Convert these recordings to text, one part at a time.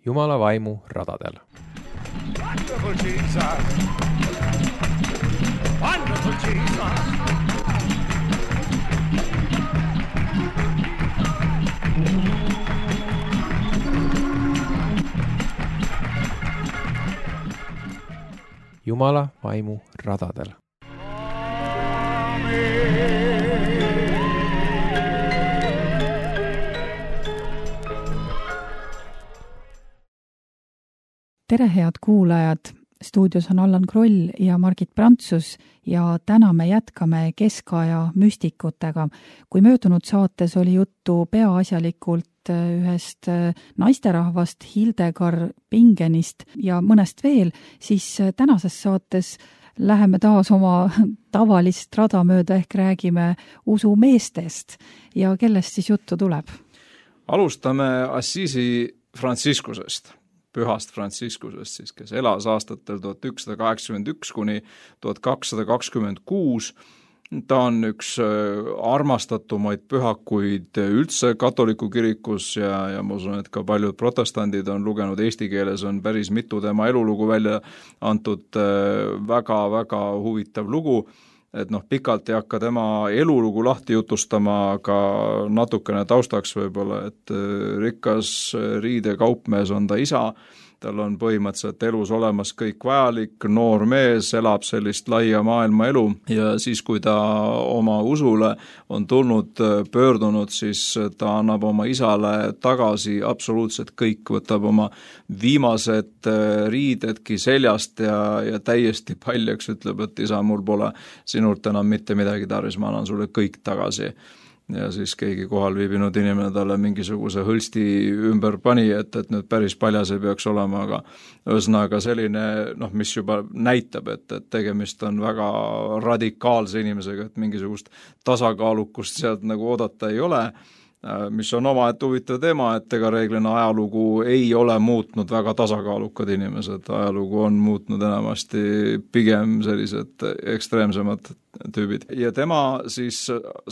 Jumala vaimu radadel. Wonderful Jesus. Wonderful Jesus. Jumala vaimu radadel. Tere, head kuulajad! Stuudios on Allan Kroll ja Margit Prantsus ja täna me jätkame keskaja müstikutega. Kui möödunud saates oli juttu peaasjalikult ühest naisterahvast Hildegard Bingenist ja mõnest veel, siis tänases saates läheme taas oma tavalist rada mööda ehk räägime usumeestest ja kellest siis juttu tuleb? Alustame Assisi Franciscusest. Pühast Franciscusest, siis, kes elas aastatel 1181 kuni 1226. Ta on üks armastatumaid pühakuid üldse katoliku kirikus ja ma usun, et ka paljud protestandid on lugenud eesti keeles, on päris mitu tema elulugu välja antud, väga-väga huvitav lugu. Et pikalt ei hakka tema elulugu lahti jutustama, aga natukene taustaks võib-olla, et rikas riidekaupmees on ta isa, tal on põhimõtteliselt elus olemas kõik vajalik, noor mees, elab sellist laia maailma elu ja siis, kui ta oma usule on pöördunud, siis ta annab oma isale tagasi absoluutselt kõik, võtab oma viimased riidedki seljast ja täiesti paljaks ütleb, et isa, mul pole sinult enam mitte midagi tarvis, ma annan sulle kõik tagasi. Ja siis keegi kohal viibinud inimene talle mingisuguse hõlsti ümber pani, et nüüd päris paljas ei peaks olema, aga ühesõnaga selline, mis juba näitab, et tegemist on väga radikaalse inimesega, et mingisugust tasakaalukust sealt nagu oodata ei ole, mis on omaette huvitav teema, et ega reeglina ajalugu ei ole muutnud väga tasakaalukad inimesed, ajalugu on muutnud enamasti pigem sellised ekstreemsemad tüübid. Ja tema siis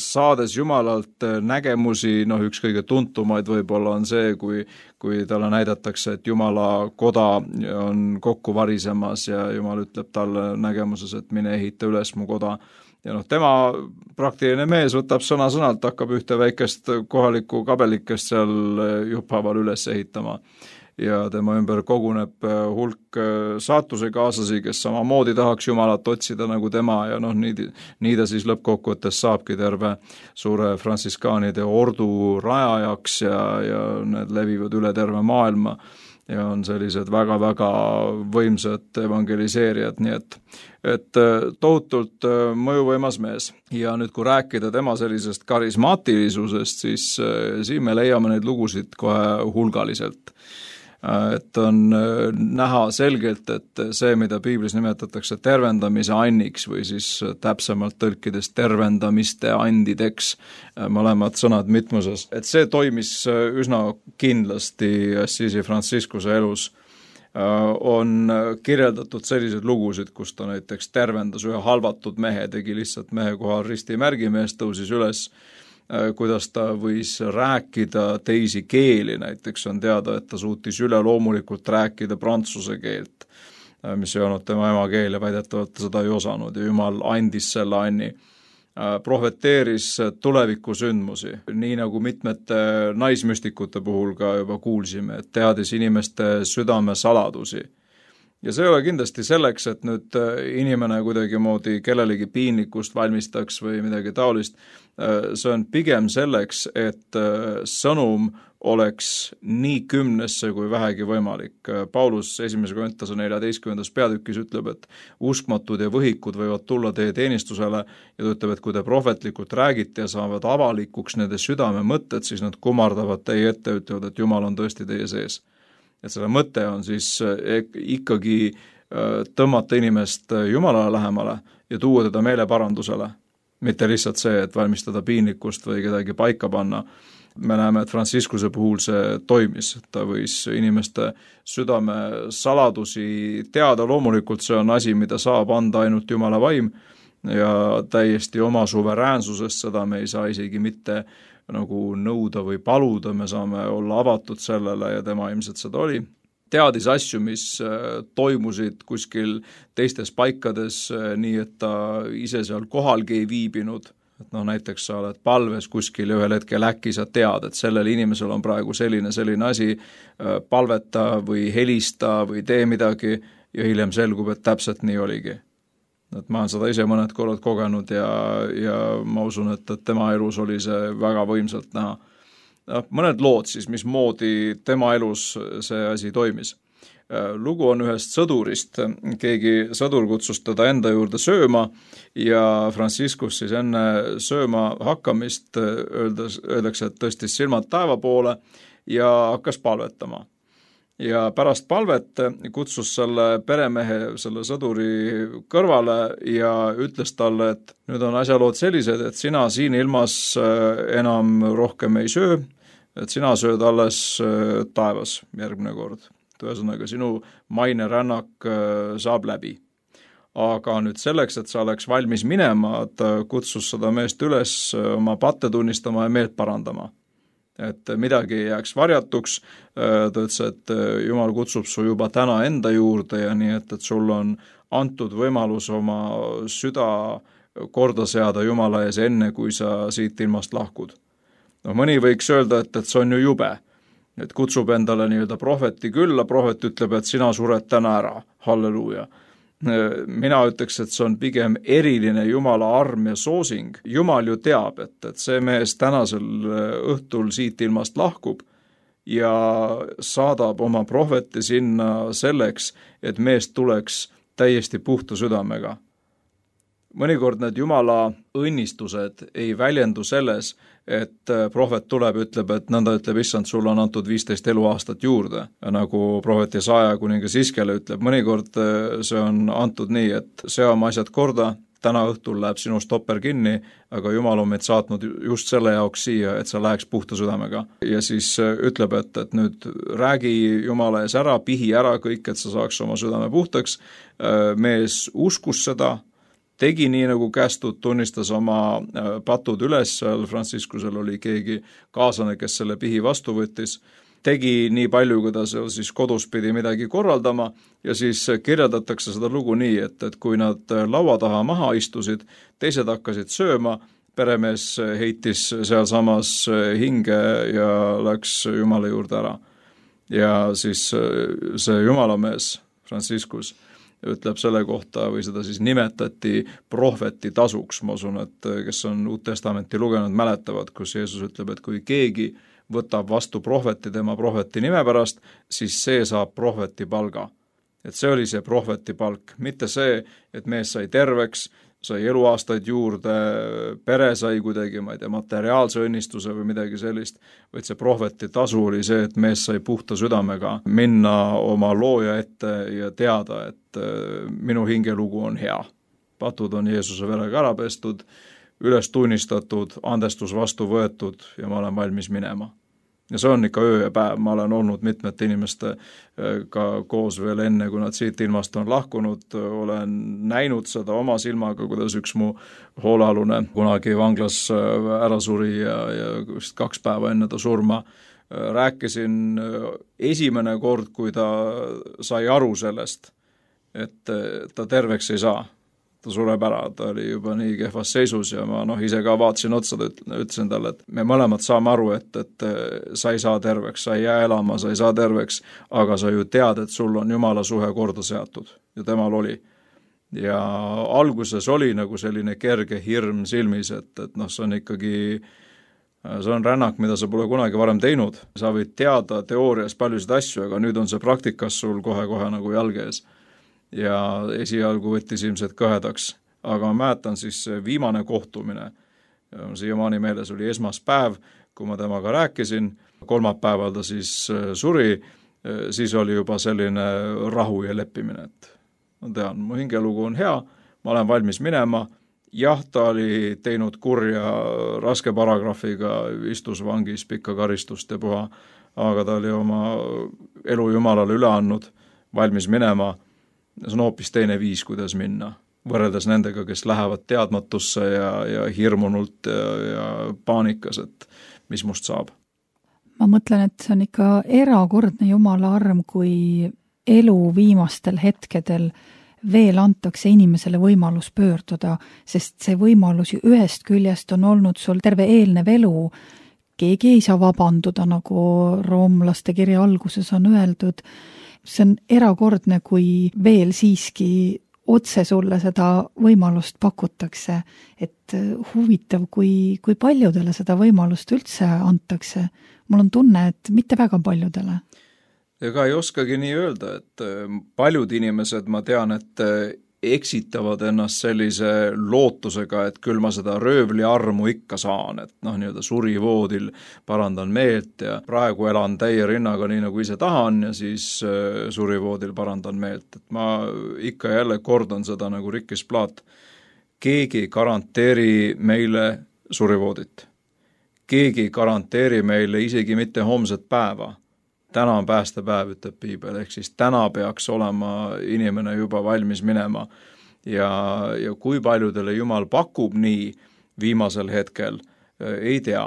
saades Jumalalt nägemusi, üks kõige tuntumaid võib-olla on see, kui talle näidatakse, et Jumala koda on kokku varisemas ja Jumal ütleb talle nägemuses, et mine ehita üles mu koda. Ja tema praktiline mees võtab sõna-sõnalt, hakkab ühte väikest kohalikku kabelikest seal jupphaval üles ehitama. Ja tema ümber koguneb hulk saatusekaaslasi, kes samamoodi tahaks Jumalat otsida nagu tema ja nii ta siis lõppkokkuvõttes saabki terve suure frantsiskaanide ordu rajajaks ja need levivad üle terve maailma ja on sellised väga-väga võimsad evangeliseerijad, nii et tohutult mõjuvõimas mees. Ja nüüd, kui rääkida tema sellisest karismaatilisusest, siis siin me leiame neid lugusid kohe hulgaliselt. Et on näha selgelt, et see, mida piiblis nimetatakse tervendamise anniks või siis täpsemalt tõlkides tervendamiste andideks, mõlemad sõnad mitmuses, et see toimis üsna kindlasti Assisi Franciscuse elus. On kirjeldatud sellised lugusid, kus ta näiteks tervendas ühe halvatud mehe, tegi lihtsalt mehe kohal ristimärgi, mees tõusis üles, kuidas ta võis rääkida teisi keeli, näiteks on teada, et ta suutis üleloomulikult rääkida prantsuse keelt, mis ei olnud tema emakeel ja väidetavalt ta seda ei osanud ja Jumal andis selle anni. Prohveteeris tulevikusündmusi, nii nagu mitmete naismüstikute puhul ka juba kuulsime, et teadis inimeste südame saladusi. Ja see ei ole kindlasti selleks, et nüüd inimene kuidagi moodi kellelegi piinlikkust valmistaks või midagi taolist. See on pigem selleks, et sõnum oleks nii kümnesse kui vähegi võimalik. Paulus 1. Korintuse 14. peatükis ütleb, et uskmatud ja võhikud võivad tulla teie teenistusele ja ta ütleb, et kui te prohvetlikult räägite ja saavad avalikuks nende südame mõtted, siis nad kummardavad teie ette, ütlevad, et Jumal on tõesti teie sees. Et selle mõte on siis ikkagi tõmmata inimest Jumalale lähemale ja tuua teda meeleparandusele. Mitte lihtsalt see, et valmistada piinlikkust või kedagi paika panna. Me näeme, et Franciscuse puhul see toimis. Ta võis inimeste südame saladusi teada. Loomulikult see on asi, mida saab anda ainult Jumala vaim ja täiesti oma suveräänsusest, seda me ei saa isegi mitte nagu nõuda või paluda, me saame olla avatud sellele ja tema ilmselt seda oli. Teadis asju, mis toimusid kuskil teistes paikades, nii et ta ise seal kohalgi ei viibinud. Et näiteks sa oled palves kuskil ja ühel hetkel äkki sa tead, et sellel inimesel on praegu selline asi, palveta või helista või tee midagi ja hiljem selgub, et täpselt nii oligi. Et ma olen seda ise mõned korrad kogenud ja ma usun, et tema elus oli see väga võimsalt näha. Mõned lood siis, mismoodi tema elus see asi toimis. Lugu on ühest sõdurist, keegi sõdur kutsus teda enda juurde sööma ja Franciscus siis enne sööma hakkamist öeldakse, et tõstis silmad taeva poole ja hakkas palvetama. Ja pärast palvet kutsus selle peremehe, selle sõduri kõrvale ja ütles talle, et nüüd on asjalood sellised, et sina siin ilmas enam rohkem ei söö, et sina sööd alles taevas järgmine kord. Ühesõnaga, sinu maine rännak saab läbi. Aga nüüd selleks, et sa oleks valmis minema, ta kutsus seda meest üles oma patte tunnistama ja meelt parandama. Et midagi ei jääks varjatuks, ta ütles, et Jumal kutsub su juba täna enda juurde ja nii, et sul on antud võimalus oma süda korda seada Jumala ees enne, kui sa siit ilmast lahkud. Mõni võiks öelda, et see on ju jube. Et kutsub endale nii-öelda prohveti külla, prohvet ütleb, et sina sured täna ära, halleluuja. Mina ütleks, et see on pigem eriline Jumala arm ja soosing. Jumal ju teab, et see mees tänasel õhtul siit ilmast lahkub ja saadab oma prohveti sinna selleks, et mees tuleks täiesti puhta südamega. Mõnikord need Jumala õnnistused ei väljendu selles, et prohvet tuleb, ütleb, et nõnda ütleb, issand, sulle on antud 15 eluaastat juurde. Ja nagu prohvet Jesaja kuningas Iskele ütleb, mõnikord see on antud nii, et sea oma asjad korda, täna õhtul läheb sinu stopper kinni, aga Jumal on meid saatnud just selle jaoks siia, et sa läheks puhta südamega. Ja siis ütleb, et nüüd räägi Jumala ees ära, pihi ära kõik, et sa saaks oma südame puhtaks. Mees uskus seda, tegi nii nagu kästud, tunnistas oma patud üles, seal Franciscusel oli keegi kaaslane, kes selle pihi vastu võttis, tegi nii palju, kui ta siis kodus pidi midagi korraldama ja siis kirjeldatakse seda lugu nii, et kui nad laua taha maha istusid, teised hakkasid sööma, peremees heitis seal samas hinge ja läks Jumala juurde ära. Ja siis see Jumalamees, Franciscus, ütleb selle kohta või seda siis nimetati prohveti tasuks. Ma usun, et kes on Uut Testamenti lugenud, mäletavad, kus Jeesus ütleb, et kui keegi võtab vastu prohveti tema prohveti nime pärast, siis see saab prohveti palga. Et see oli see prohveti palk, mitte see, et mees sai terveks, sai eluaastaid juurde, pere sai kuidagi, ma ei tea, materiaalse õnnistuse või midagi sellist, vaid see prohveti tasu oli see, et mees sai puhta südamega minna oma looja ette ja teada, et minu hingelugu on hea. Patud on Jeesuse verega ära pestud, üles tunnistatud, andestus vastu võetud ja ma olen valmis minema. Ja see on ikka öö ja päev, ma olen olnud mitmete inimestega koos veel enne, kui nad siit ilmast on lahkunud, olen näinud seda oma silmaga, kuidas üks mu hoolealune kunagi vanglas ära suri ja 2 päeva enne ta surma. Rääkisin esimene kord, kui ta sai aru sellest, et ta terveks ei saa. Ta sureb ära, ta oli juba nii kehvas seisus ja ma ise ka vaatasin otsa, ütlesin talle, et me mõlemad saame aru, et sa ei saa terveks, sa ei jää elama, sa ei saa terveks, aga sa ju tead, et sul on Jumala suhe korda seatud ja temal oli. Ja alguses oli nagu selline kerge hirm silmis, et see on ikkagi, see on rännak, mida sa pole kunagi varem teinud. Sa võid teada teoorias paljusid asju, aga nüüd on see praktikas sul kohe-kohe nagu jalge ees. Ja esialgu võttis ilmselt kõhedaks, aga ma mäletan siis viimane kohtumine. Siiamaani meeles oli esmaspäev, kui ma temaga rääkisin, kolmapäeval ta siis suri, siis oli juba selline rahu ja leppimine, et ma tean, mu hingelugu on hea, ma olen valmis minema, jah, ta oli teinud kurja raske paragrahviga, istus vangis pikka karistust ja puha, aga ta oli oma elu Jumalale üle andnud, valmis minema. See on hoopis teine viis, kuidas minna, võrreldes nendega, kes lähevad teadmatusse ja hirmunult ja paanikas, et mis must saab. Ma mõtlen, et see on ikka erakordne Jumala arm, kui elu viimastel hetkedel veel antakse inimesele võimalus pöörduda, sest see võimalus ju ühest küljest on olnud sul terve eelnev elu. Keegi ei saa vabanduda, nagu roomlaste kirja alguses on öeldud. See on erakordne, kui veel siiski otse sulle seda võimalust pakutakse, et huvitav, kui paljudele seda võimalust üldse antakse. Mul on tunne, et mitte väga paljudele. Ega ei oskagi nii öelda, et paljud inimesed, ma tean, et eksitavad ennast sellise lootusega, et küll ma seda röövli armu ikka saan, et nii-öelda surivoodil parandan meelt ja praegu elan täie rinnaga nii nagu ise tahan ja siis surivoodil parandan meelt. Et ma ikka jälle kordan seda nagu Rikkis Plaat. Keegi garanteeri meile surivoodit. Keegi garanteeri meile isegi mitte homset päeva. Täna on päästepäev, ütleb Piibel, ehk siis täna peaks olema inimene juba valmis minema ja kui paljudele Jumal pakub nii viimasel hetkel, ei tea.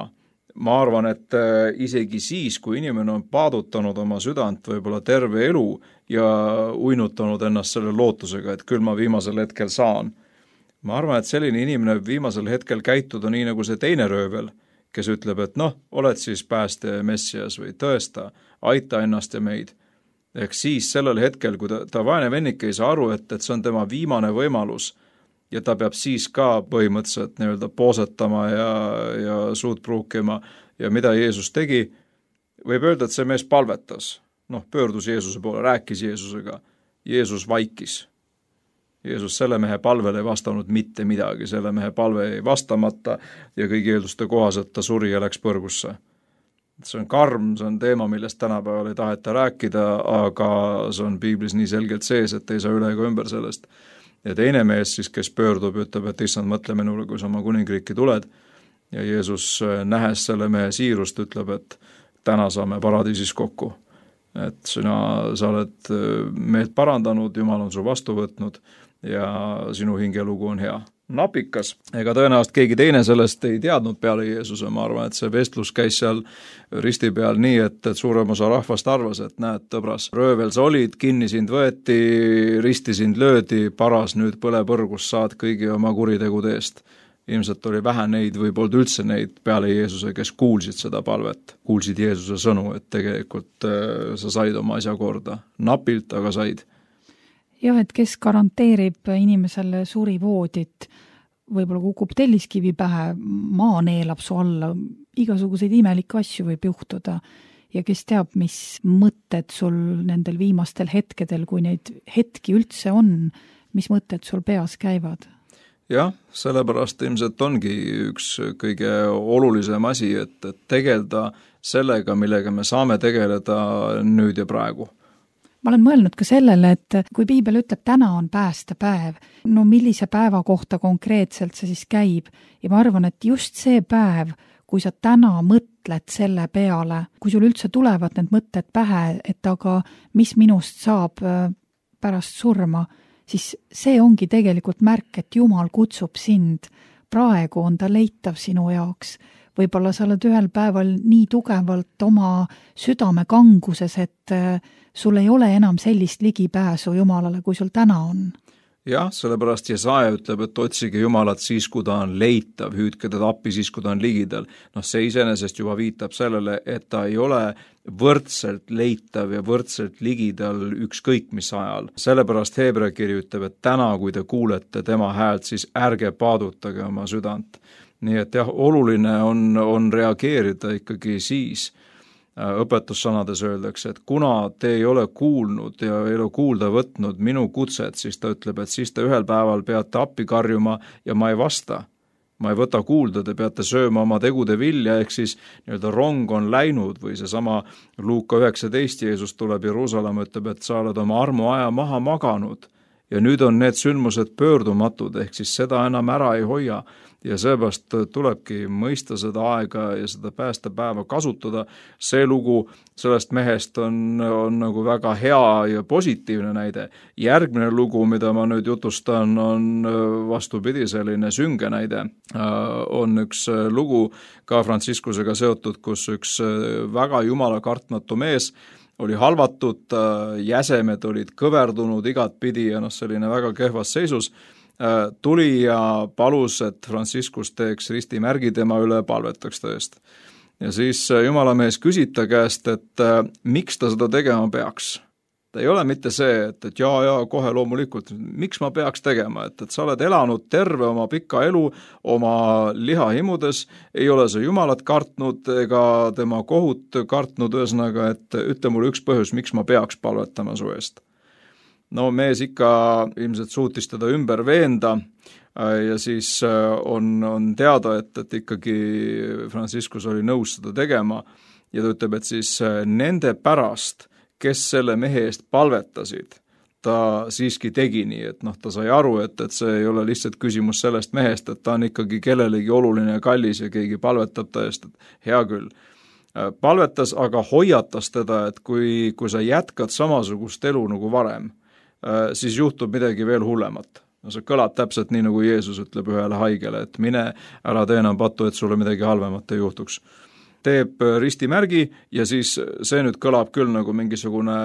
Ma arvan, et isegi siis, kui inimene on paadutanud oma südant võib-olla terve elu ja uinutanud ennast selle lootusega, et küll ma viimasel hetkel saan. Ma arvan, et selline inimene viimasel hetkel käituda nii nagu see teine röövel, kes ütleb, et oled siis pääste messias või tõesta, aita ennast ja meid. Ehk siis sellel hetkel, kui ta vaene vennik ei saa aru, et see on tema viimane võimalus ja ta peab siis ka põhimõtteliselt nii-öelda poosetama ja suud pruukima ja mida Jeesus tegi, võib öelda, et see mees palvetas. Pöördus Jeesuse poole, rääkis Jeesusega. Jeesus vaikis. Jeesus selle mehe palvele ei vastanud mitte midagi, selle mehe palve ei vastamata ja kõigi eelduste kohaselt ta suri ja läks põrgusse. See on karm, see on teema, millest tänapäeval ei taheta rääkida, aga see on Piiblis nii selgelt sees, et ei saa üle ega ümber sellest. Ja teine mees siis, kes pöördub, ütleb, et issand, mõtle minule, kui sa oma kuningriiki tuled ja Jeesus nähes selle mehe siirust, ütleb, et täna saame paradiisis kokku. Et sa oled meelt parandanud, Jumal on su vastu võtnud ja sinu hingelugu on hea. Napikas. Ega tõenäoliselt keegi teine sellest ei teadnud peale Jeesuse, ma arvan, et see vestlus käis seal risti peal nii, et suurem osa rahvast arvas, et näed, tõbras, röövel sa olid, kinni sind võeti, risti sind löödi, paras nüüd põlepõrgus saad kõigi oma kuritegude eest. Ilmselt oli vähe neid või polnud üldse neid peale Jeesuse, kes kuulsid seda palvet, kuulsid Jeesuse sõnu, et tegelikult sa said oma asja korda. Napilt, aga said. Jah, et kes garanteerib inimesele surivoodit, võib-olla kukub telliskivi pähe, maa neelab su alla, igasuguseid imelikke asju võib juhtuda ja kes teab, mis mõtted sul nendel viimastel hetkedel, kui neid hetki üldse on, mis mõtted sul peas käivad? Jah, sellepärast ilmselt ongi üks kõige olulisem asi, et tegeleda sellega, millega me saame tegeleda nüüd ja praegu. Ma olen mõelnud ka sellele, et kui Piibel ütleb, täna on päästepäev, millise päeva kohta konkreetselt see siis käib ja ma arvan, et just see päev, kui sa täna mõtled selle peale, kui sul üldse tulevad need mõtted pähe, et aga mis minust saab pärast surma, siis see ongi tegelikult märk, et Jumal kutsub sind. Praegu on ta leitav sinu jaoks. Võib-olla sa oled ühel päeval nii tugevalt oma südame kanguses, et sul ei ole enam sellist ligipääsu Jumalale, kui sul täna on. Jah, sellepärast Jesaja ütleb, et otsige Jumalat siis, kui ta on leitav, hüüdke teda appi siis, kui ta on ligidal. See iseenesest juba viitab sellele, et ta ei ole võrdselt leitav ja võrdselt ligidal ükskõik mis ajal. Sellepärast Heebrea kiri ütleb, et täna, kui te kuulete tema häält, siis ärge paadutage oma südant. Nii et jah, oluline on reageerida ikkagi siis. Õpetussõnades öeldakse, et kuna te ei ole kuulnud ja ei ole kuulda võtnud minu kutset, siis ta ütleb, et siis te ühel päeval peate appi karjuma ja ma ei vasta. Ma ei võta kuulda, te peate sööma oma tegude vilja, ehk siis nii-öelda rong on läinud või seesama Luuka 19, Jeesus tuleb Jeruusalemma, ütleb, et sa oled oma armuaja maha maganud ja nüüd on need sündmused pöördumatud, ehk siis seda enam ära ei hoia ja seepärast tulebki mõista seda aega ja seda päästepäeva kasutada. See lugu sellest mehest on nagu väga hea ja positiivne näide. Järgmine lugu, mida ma nüüd jutustan, on vastupidi selline sünge näide. On üks lugu ka Franciscusega seotud, kus üks väga jumala kartmatu mees oli halvatud, jäsemed olid kõverdunud igat pidi ja selline väga kehvas seisus, tuli ja palus, et Franciscus teeks ristimärgi tema üle, palvetaks ta eest. Ja siis jumalamees küsib ta käest, et miks ta seda tegema peaks. Ta ei ole mitte see, et jaa, kohe loomulikult, miks ma peaks tegema, et sa oled elanud terve oma pika elu oma lihahimudes, ei ole sa jumalat kartnud ega tema kohut kartnud, ühesõnaga, et ütle mulle üks põhjus, miks ma peaks palvetama su eest. No mees ikka ilmselt suutis teda ümber veenda ja siis on teada, et ikkagi Franciscus oli nõus seda tegema ja ta ütleb, et siis nende pärast, kes selle mehe eest palvetasid, ta siiski tegi nii, et ta sai aru, et see ei ole lihtsalt küsimus sellest mehest, et ta on ikkagi kellelegi oluline ja kallis ja keegi palvetab ta eest, et hea küll. Palvetas, aga hoiatas teda, et kui sa jätkad samasugust elu nagu varem, siis juhtub midagi veel hullemat. No see kõlab täpselt nii, nagu Jeesus ütleb ühele haigele, et mine, ära tee enam pattu, et sulle midagi halvemat ei juhtuks. Teeb ristimärgi ja siis see nüüd kõlab küll nagu mingisugune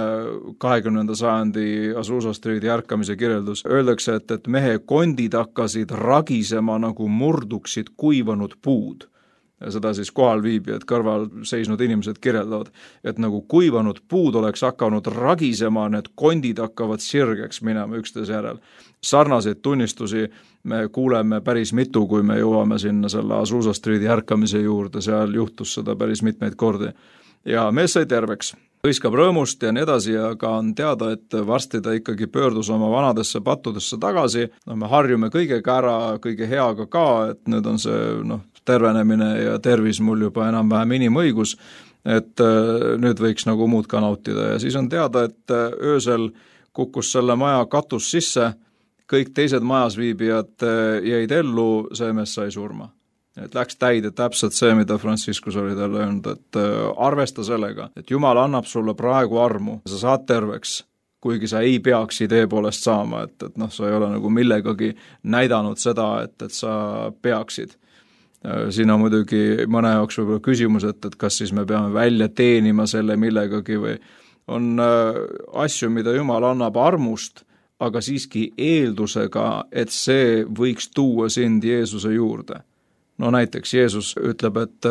20. sajandi Azusa Streeti ärkamise kirjeldus. Öeldakse, et mehe kondid hakkasid ragisema nagu murduksid kuivanud puud. Ja seda siis kohal viibijad kõrval seisnud inimesed kirjeldavad, et nagu kuivanud puud oleks hakanud ragisema, need kondid hakkavad sirgeks minema üksteise järel. Sarnaseid tunnistusi me kuuleme päris mitu, kui me jõuame sinna selle Azusa Streeti ärkamise juurde, seal juhtus seda päris mitmeid kordi. Ja mees sai terveks, hõiskab rõõmust ja nii edasi, aga on teada, et varsti ta ikkagi pöördus oma vanadesse pattudesse tagasi. Me harjume kõigega ära, kõige heaga ka, et nüüd on see tervenemine ja tervis mul juba enam-vähem inimõigus, et nüüd võiks nagu muud ka nautida. Ja siis on teada, et öösel kukkus selle maja katus sisse, kõik teised majas viibijad jäid ellu, see mees sai surma. Et läks täide täpselt see, mida Franciscus oli talle öelnud, et arvesta sellega, et Jumal annab sulle praegu armu, sa saad terveks, kuigi sa ei peaks idee poolest saama, et sa ei ole nagu millegagi näidanud seda, et sa peaksid. Siin on muidugi mõne jaoks võib-olla küsimus, et kas siis me peame välja teenima selle millegagi või on asju, mida Jumal annab armust, aga siiski eeldusega, et see võiks tuua sind Jeesuse juurde. No näiteks Jeesus ütleb, et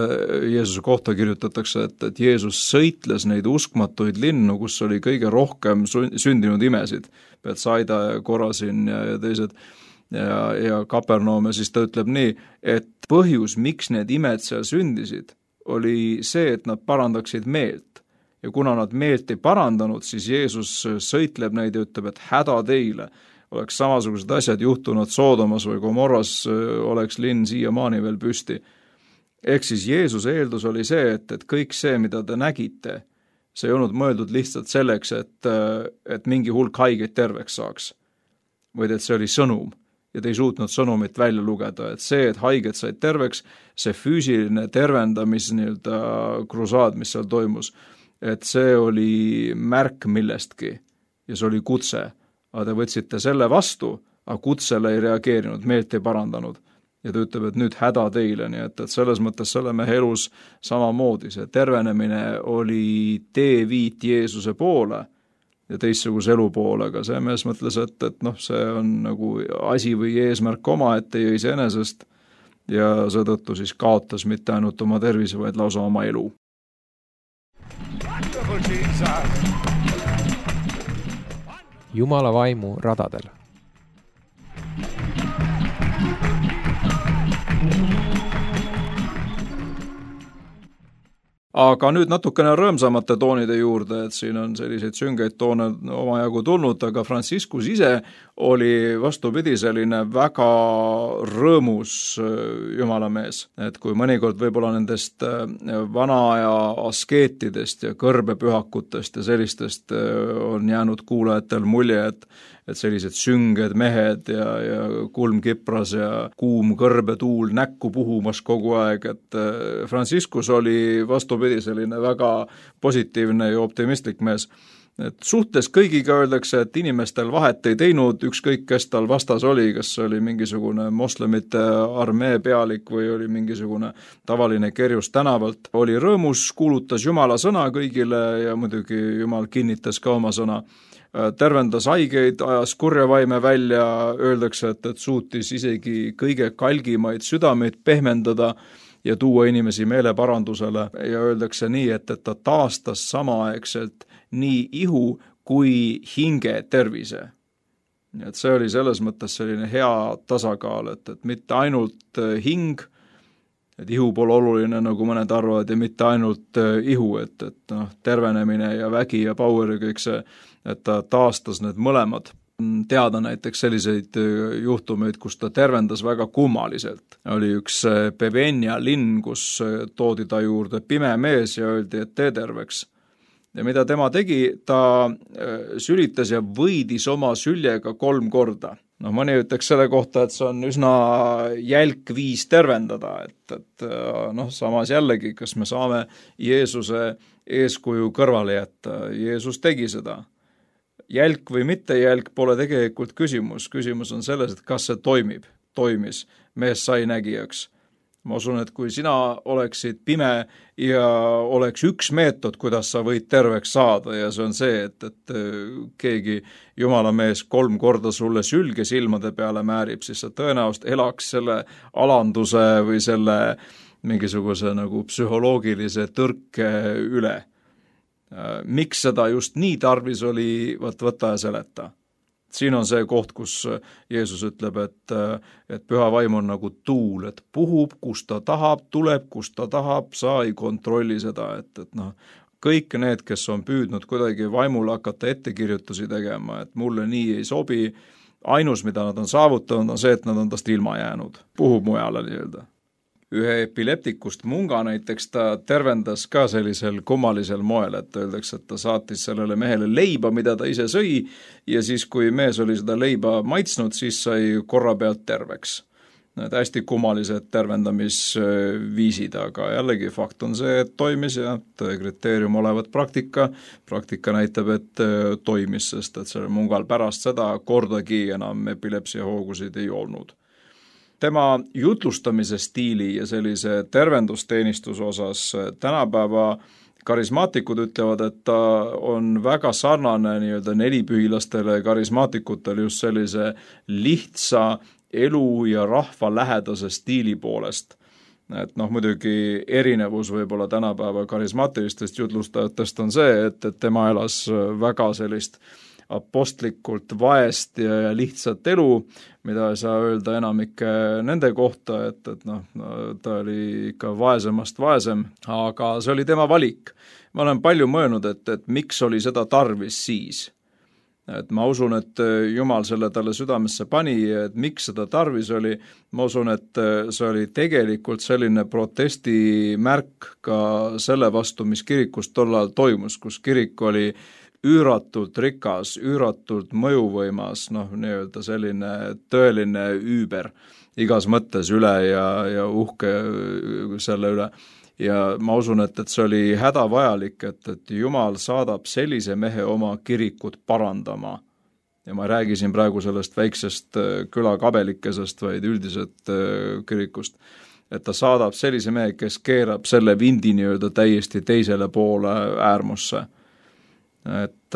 Jeesuse kohta kirjutatakse, et Jeesus sõitles neid uskmatuid linnu, kus oli kõige rohkem sündinud imesid, Betsaida ja Korasin ja teised ja Kapernaum, ja siis ta ütleb nii, et põhjus, miks need imed seal sündisid, oli see, et nad parandaksid meelt. Ja kuna nad meelt ei parandanud, siis Jeesus sõitleb neid ja ütleb, et häda teile. Oleks samasugused asjad juhtunud Soodomas või Gomorras, oleks linn siiamaani veel püsti. Ehk siis Jeesuse eeldus oli see, et kõik see, mida te nägite, see ei olnud mõeldud lihtsalt selleks, et mingi hulk haigeid terveks saaks, vaid et see oli sõnum. Ja te ei suutnud sõnumit välja lugeda, et see, et haiged said terveks, see füüsiline tervendamis krusaad, mis seal toimus, et see oli märk millestki ja see oli kutse. Aga te võtsite selle vastu, aga kutsele ei reageerinud, meelt ei parandanud. Ja ta ütleb, et nüüd häda teile, nii et selles mõttes selle mehe elus samamoodi. See tervenemine oli teeviit Jeesuse poole ja teistsuguse elu poole, aga see mees mõtles, et see on nagu asi või eesmärk omaette ja iseenesest ja seetõttu siis kaotas mitte ainult oma tervise, vaid lausa oma elu. Jumala vaimu radadel. Aga nüüd natukene rõõmsamate toonide juurde, et siin on selliseid süngeid toone omajagu tulnud, aga Franciscus ise oli vastupidi selline väga rõõmus jumalamees. Et kui mõnikord võib-olla nendest vana aja askeetidest ja kõrbepühakutest ja sellistest on jäänud kuulajatel mulje, et sellised sünged mehed ja kulm kipras ja kuum kõrbetuul näkku puhumas kogu aeg, et Franciscus oli vastupidi selline väga positiivne ja optimistlik mees. Et suhtes kõigiga öeldakse, et inimestel vahet ei teinud, ükskõik kes tal vastas oli, kas oli mingisugune moslemite armee pealik või oli mingisugune tavaline kerjus tänavalt. Oli rõõmus, kuulutas Jumala sõna kõigile ja muidugi Jumal kinnitas ka oma sõna. Tervendas haigeid, ajas kurjavaime välja, öeldakse, et suutis isegi kõige kalgimaid südameid pehmendada ja tuua inimesi meeleparandusele ja öeldakse nii, et ta taastas samaaegselt nii ihu kui hinge tervise. Et see oli selles mõttes selline hea tasakaal, et mitte ainult hing, et ihu pole oluline, nagu mõned arvavad, ja mitte ainult ihu, et tervenemine ja vägi ja power ja kõik see, et ta taastas need mõlemad. Teada näiteks selliseid juhtumeid, kus ta tervendas väga kummaliselt. Oli üks Pevenia linn, kus toodi ta juurde pime mees ja öeldi, et tee terveks. Ja mida tema tegi, ta sülitas ja võidis oma süljega 3 korda. Mõni ütleks selle kohta, et see on üsna jälk viis tervendada, et samas jällegi, kas me saame Jeesuse eeskuju kõrvale jätta. Jeesus tegi seda. Jälk või mitte jälk pole tegelikult küsimus. Küsimus on selles, et kas see toimis. Mees sai nägijaks. Ma usun, et kui sina oleksid pime ja oleks üks meetod, kuidas sa võid terveks saada ja see on see, et keegi Jumala mees 3 korda sulle sülge silmade peale määrib, siis sa tõenäoliselt elaks selle alanduse või selle mingisuguse nagu psühholoogilise tõrke üle. Miks seda just nii tarvis oli, võta ja seleta. Siin on see koht, kus Jeesus ütleb, et püha vaim on nagu tuul, et puhub, kus ta tahab, tuleb, kus ta tahab, sa ei kontrolli seda, kõik need, kes on püüdnud kuidagi vaimul hakata ettekirjutusi tegema, et mulle nii ei sobi, ainus, mida nad on saavutanud, on see, et nad on tast ilma jäänud. Puhub mujale nii-öelda. Ühe epileptikust munga näiteks ta tervendas ka sellisel kummalisel moel, et öeldakse, et ta saatis sellele mehele leiba, mida ta ise sõi ja siis, kui mees oli seda leiba maitsnud, siis sai korra pealt terveks. Need hästi kummalised tervendamisviisid, aga jällegi fakt on see, et toimis ja kriteerium olevat praktika näitab, et toimis, sest et selle mungal pärast seda kordagi enam epilepsia hoogusid ei olnud. Tema jutlustamise stiili ja sellise tervendusteenistuse osas tänapäeva karismaatikud ütlevad, et ta on väga sarnane nii-öelda nelipühilastele karismaatikutele just sellise lihtsa elu ja rahva lähedase stiili poolest. Et muidugi erinevus võib-olla tänapäeva karismaatilistest jutlustajatest on see, et tema elas väga sellist apostlikult vaest ja lihtsat elu, mida ei saa öelda enamike nende kohta, et ta oli ikka vaesemast vaesem, aga see oli tema valik. Ma olen palju mõelnud, et miks oli seda tarvis siis. Et ma usun, et Jumal selle talle südamesse pani, et miks seda tarvis oli. Ma usun, et see oli tegelikult selline protestimärk ka selle vastu, mis kirikus tollal toimus, kus kirik oli üüratult rikas, üüratult mõjuvõimas, nii-öelda selline tõeline üüber igas mõttes üle ja uhke selle üle. Ja ma usun, et see oli hädavajalik, et Jumal saadab sellise mehe oma kirikut parandama. Ja ma räägisin praegu sellest väiksest külakabelikesest, vaid üldiselt kirikust. Et ta saadab sellise mehe, kes keerab selle vindi nii-öelda täiesti teisele poole äärmusse. Et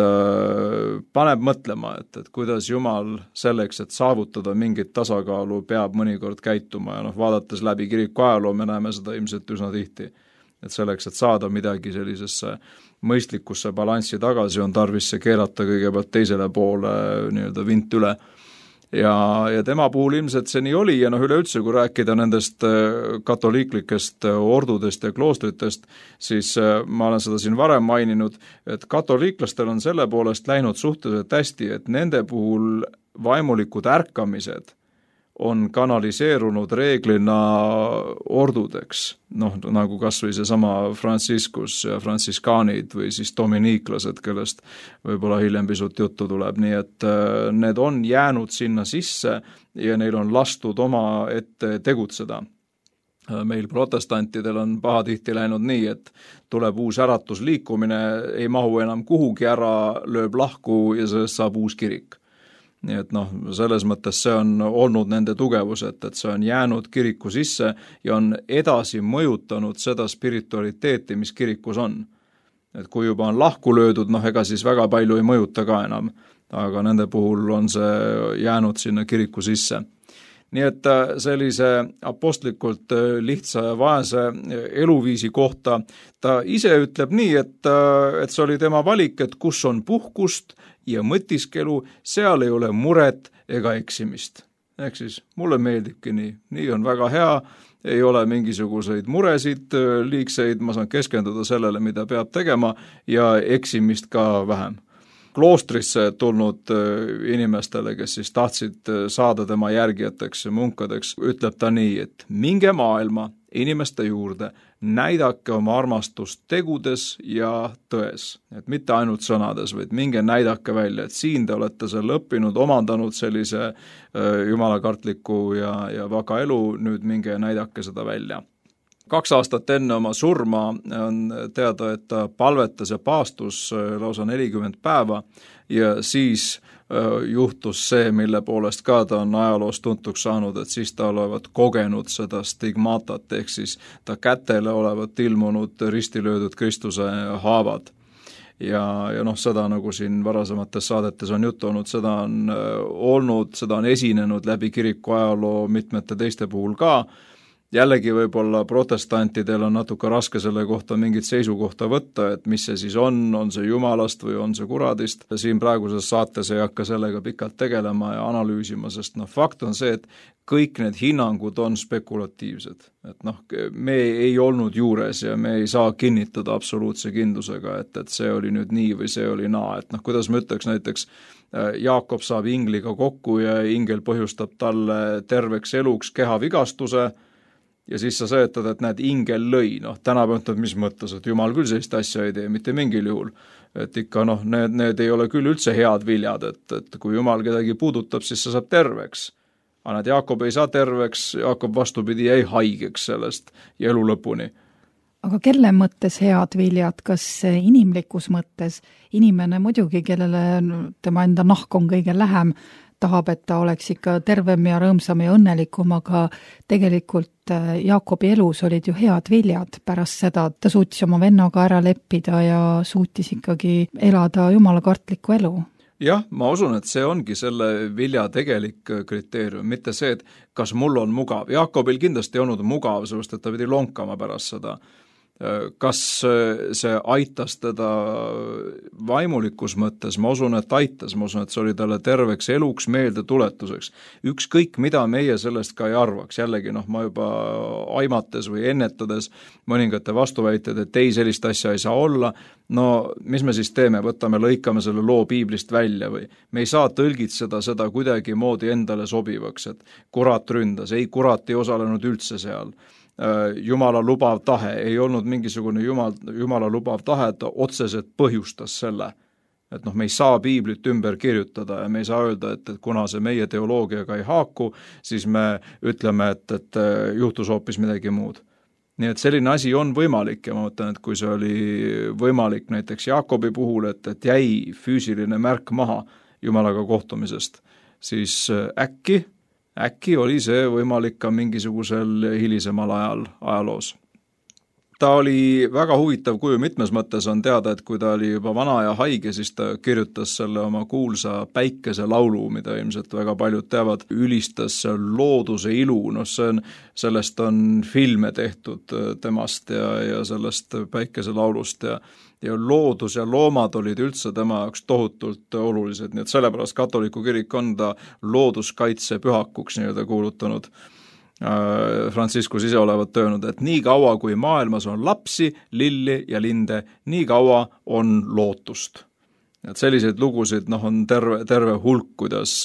paneb mõtlema, et kuidas Jumal selleks, et saavutada mingit tasakaalu, peab mõnikord käituma ja vaadates läbi kiriku ajaloo me näeme seda ilmselt üsna tihti. Et selleks, et saada midagi sellisesse mõistlikusse balanssi tagasi, on tarvis see keerata kõigepealt teisele poole nii-öelda vint üle. ja tema puhul ilmselt see nii oli ja üleüldse, kui rääkida nendest katoliiklikest ordudest ja kloostritest, siis ma olen seda siin varem maininud, et katoliiklastel on selle poolest läinud suhteliselt hästi, et nende puhul vaimulikud ärkamised on kanaliseerunud reeglina ordudeks, nagu kas või seesama Franciscus ja frantsiskaanid või siis dominiiklased, kellest võib-olla hiljem pisut juttu tuleb, nii et need on jäänud sinna sisse ja neil on lastud oma ette tegutseda. Meil protestantidel on pahatihti läinud nii, et tuleb uus äratusliikumine, ei mahu enam kuhugi ära, lööb lahku ja sellest saab uus kirik. Nii et selles mõttes see on olnud nende tugevus, et see on jäänud kiriku sisse ja on edasi mõjutanud seda spiritualiteeti, mis kirikus on. Et kui juba on lahku löödud, ega siis väga palju ei mõjuta ka enam, aga nende puhul on see jäänud sinna kiriku sisse. Nii et sellise apostlikult lihtsa ja vaese eluviisi kohta ta ise ütleb nii, et see oli tema valik, et kus on puhkust ja mõtiskelu, seal ei ole muret ega eksimist. Ehk siis mulle meeldibki nii on väga hea, ei ole mingisuguseid muresid, liigseid, ma saan keskenduda sellele, mida peab tegema ja eksimist ka vähem. Kloostrisse tulnud inimestele, kes siis tahtsid saada tema järgijateks ja munkadeks, ütleb ta nii, et minge maailma inimeste juurde, näidake oma armastust tegudes ja tões. Et mitte ainult sõnades, vaid minge näidake välja, et siin te olete selle õppinud, omandanud sellise jumalakartliku ja vaka elu, nüüd minge näidake seda välja. 2 aastat enne oma surma on teada, et ta palvetas ja paastus lausa 40 päeva ja siis juhtus see, mille poolest ka ta on ajaloos tuntuks saanud, et siis ta olevat kogenud seda stigmatat, ehk siis ta kätele olevat ilmunud ristilöödud Kristuse haavad. Ja seda nagu siin varasemates saadetes on juttu olnud, seda on esinenud läbi kiriku ajaloo mitmete teiste puhul ka. Jällegi võib-olla protestantidel on natuke raske selle kohta mingit seisukohta võtta, et mis see siis on see jumalast või on see kuradist. Siin praeguses saates ei hakka sellega pikalt tegelema ja analüüsima, sest fakt on see, et kõik need hinnangud on spekulatiivsed. Et me ei olnud juures ja me ei saa kinnitada absoluutse kindlusega, et see oli nüüd nii või see oli naa. Et kuidas ma ütleks näiteks, Jaakob saab ingliga kokku ja ingel põhjustab talle terveks eluks kehavigastuse, ja siis sa seletad, et näed, ingel lõi. Tänapäev ütleb, mis mõttes, et Jumal küll sellist asja ei tee, mitte mingil juhul. Et ikka need ei ole küll üldse head viljad, et kui Jumal kedagi puudutab, siis sa saab terveks. Aga need Jaakob ei saa terveks, Jaakob vastupidi jäi haigeks sellest ja elu lõpuni. Aga kelle mõttes head viljad, kas inimlikus mõttes? Inimene muidugi, kellele tema enda nahk on kõige lähem, tahab, et ta oleks ikka tervem ja rõõmsam ja õnnelikum, aga tegelikult Jaakobi elus olid ju head viljad. Pärast seda ta suutis oma vennaga ära leppida ja suutis ikkagi elada jumalakartlikku elu. Jah, ma usun, et see ongi selle vilja tegelik kriteerium, mitte see, et kas mul on mugav. Jaakobil kindlasti ei olnud mugav, sellepärast, et ta pidi lonkama pärast seda. Kas see aitas teda vaimulikus mõttes? Ma usun, et aitas. Ma usun, et see oli talle terveks eluks meelde tuletuseks. Ükskõik, mida meie sellest ka ei arvaks. Jällegi, ma juba aimates või ennetades mõningate vastuväited, et ei, sellist asja ei saa olla. Mis me siis teeme? Võtame, lõikame selle loo piiblist välja või? Me ei saa tõlgitseda seda kuidagi moodi endale sobivaks, et kurat ründas. Ei, kurat ei osalenud üldse seal. Jumala lubav tahe, ei olnud mingisugune Jumala lubav tahe, et ta otseselt põhjustas selle. Et me ei saa piiblit ümber kirjutada ja me ei saa öelda, et kuna see meie teoloogiaga ei haaku, siis me ütleme, et juhtus hoopis midagi muud. Nii et selline asi on võimalik ja ma mõtlen, et kui see oli võimalik näiteks Jaakobi puhul, et jäi füüsiline märk maha Jumalaga kohtumisest, siis äkki oli see võimalik ka mingisugusel hilisemal ajaloos. Ta oli väga huvitav kuju, mitmes mõttes on teada, et kui ta oli juba vana ja haige, siis ta kirjutas selle oma kuulsa päikese laulu, mida ilmselt väga paljud teavad, ülistas looduse ilu, sellest on filme tehtud temast ja sellest päikese laulust ja loodus ja loomad olid üldse tema jaoks tohutult olulised, nii et sellepärast katoliku kirik on ta looduskaitse pühakuks nii-öelda kuulutanud. Franciscus ise olevat öelnud, et nii kaua kui maailmas on lapsi, lilli ja linde, nii kaua on lootust. Et selliseid lugusid on terve hulk, kuidas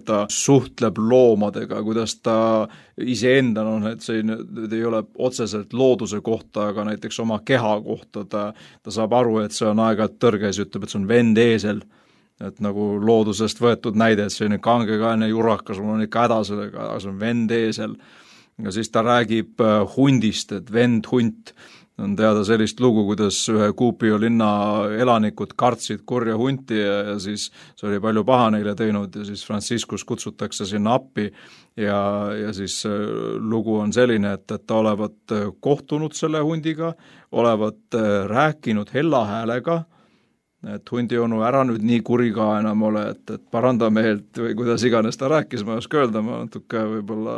ta suhtleb loomadega, kuidas ta iseenda, et see ei ole otseselt looduse kohta, aga näiteks oma keha kohta, ta saab aru, et see on aeg-ajalt tõrges, ütleb, et see on vend eesel, et nagu loodusest võetud näide, et selline kangekaelne jurakas, mul on ikka häda sellega, aga see on vend eesel. Ja siis ta räägib hundist, et vend hunt. On teada sellist lugu, kuidas ühe Kuupio linna elanikud kartsid kurja hunti ja siis see oli palju paha neile teinud ja siis Franciscus kutsutakse sinna appi ja siis lugu on selline, et ta olevat kohtunud selle hundiga, olevat rääkinud hella häälega, et hundi onu ära nüüd nii kuri ka enam ole, et paranda meelt või kuidas iganes ta rääkis, ma ei oska öelda, ma natuke võib-olla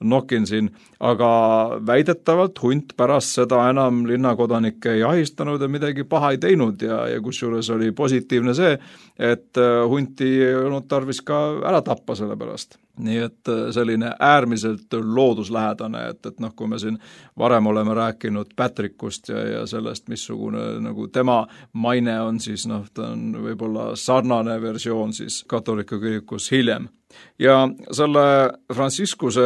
nokin siin, aga väidetavalt hunt pärast seda enam linnakodanikke ei ahistanud ja midagi paha ei teinud ja kusjuures oli positiivne see, et hunti ei olnud tarvis ka ära tappa selle pärast. Nii et selline äärmiselt looduslähedane, et kui me siin varem oleme rääkinud Patrickust ja sellest, missugune nagu tema maine on, siis ta on võib-olla sarnane versioon siis katoliku kirikus hiljem. Ja selle Franciscuse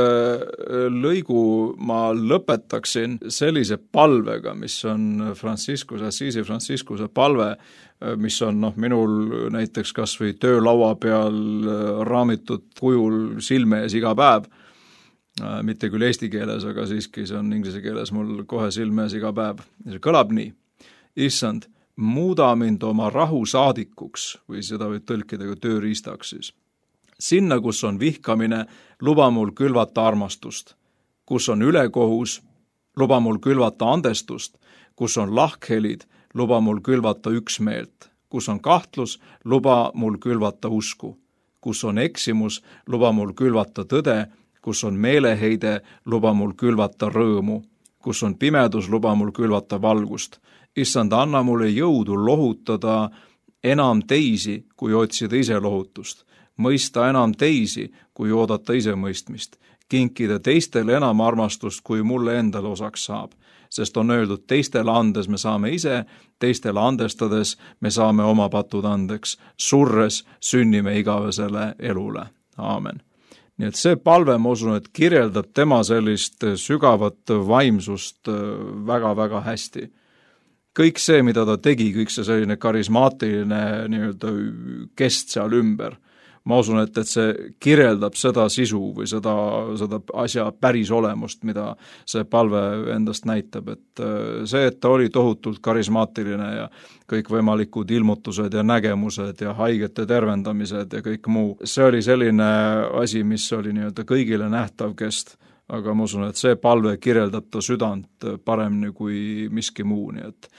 lõigu ma lõpetaksin sellise palvega, mis on Assisi Franciscuse palve, mis on minul näiteks kas või töölaua peal raamitud kujul silme ees iga päev, mitte küll eesti keeles, aga siiski see on inglise keeles mul kohe silme ees iga päev. See kõlab nii, issand, muuda mind oma rahu saadikuks või seda võib tõlkida kui tööriistaks siis. Sinna, kus on vihkamine, luba mul külvata armastust. Kus on ülekohus, luba mul külvata andestust. Kus on lahkhelid, luba mul külvata üksmeelt. Kus on kahtlus, luba mul külvata usku. Kus on eksimus, luba mul külvata tõde. Kus on meeleheide, luba mul külvata rõõmu. Kus on pimedus, luba mul külvata valgust. Issand, anna mulle jõudu lohutada enam teisi, kui otsida ise lohutust. Mõista enam teisi, kui oodata ise mõistmist. Kinkida teistele enam armastust, kui mulle endale osaks saab. Sest on öeldud, teistele andes me saame ise, teistele andestades me saame oma patud andeks. Surres sünnime igavesele elule. Aamen. Nii et see palve, ma usun, et kirjeldab tema sellist sügavat vaimsust väga-väga hästi. Kõik see, mida ta tegi, kõik see selline karismaatiline nii-öelda kest seal ümber, ma usun, et see kirjeldab seda sisu või seda asja päris olemust, mida see palve endast näitab, et see, et ta oli tohutult karismaatiline ja kõikvõimalikud ilmutused ja nägemused ja haigete tervendamised ja kõik muu, see oli selline asi, mis oli nii-öelda kõigile nähtav kest, aga ma usun, et see palve kirjeldab ta südant paremini kui miski muu, nii et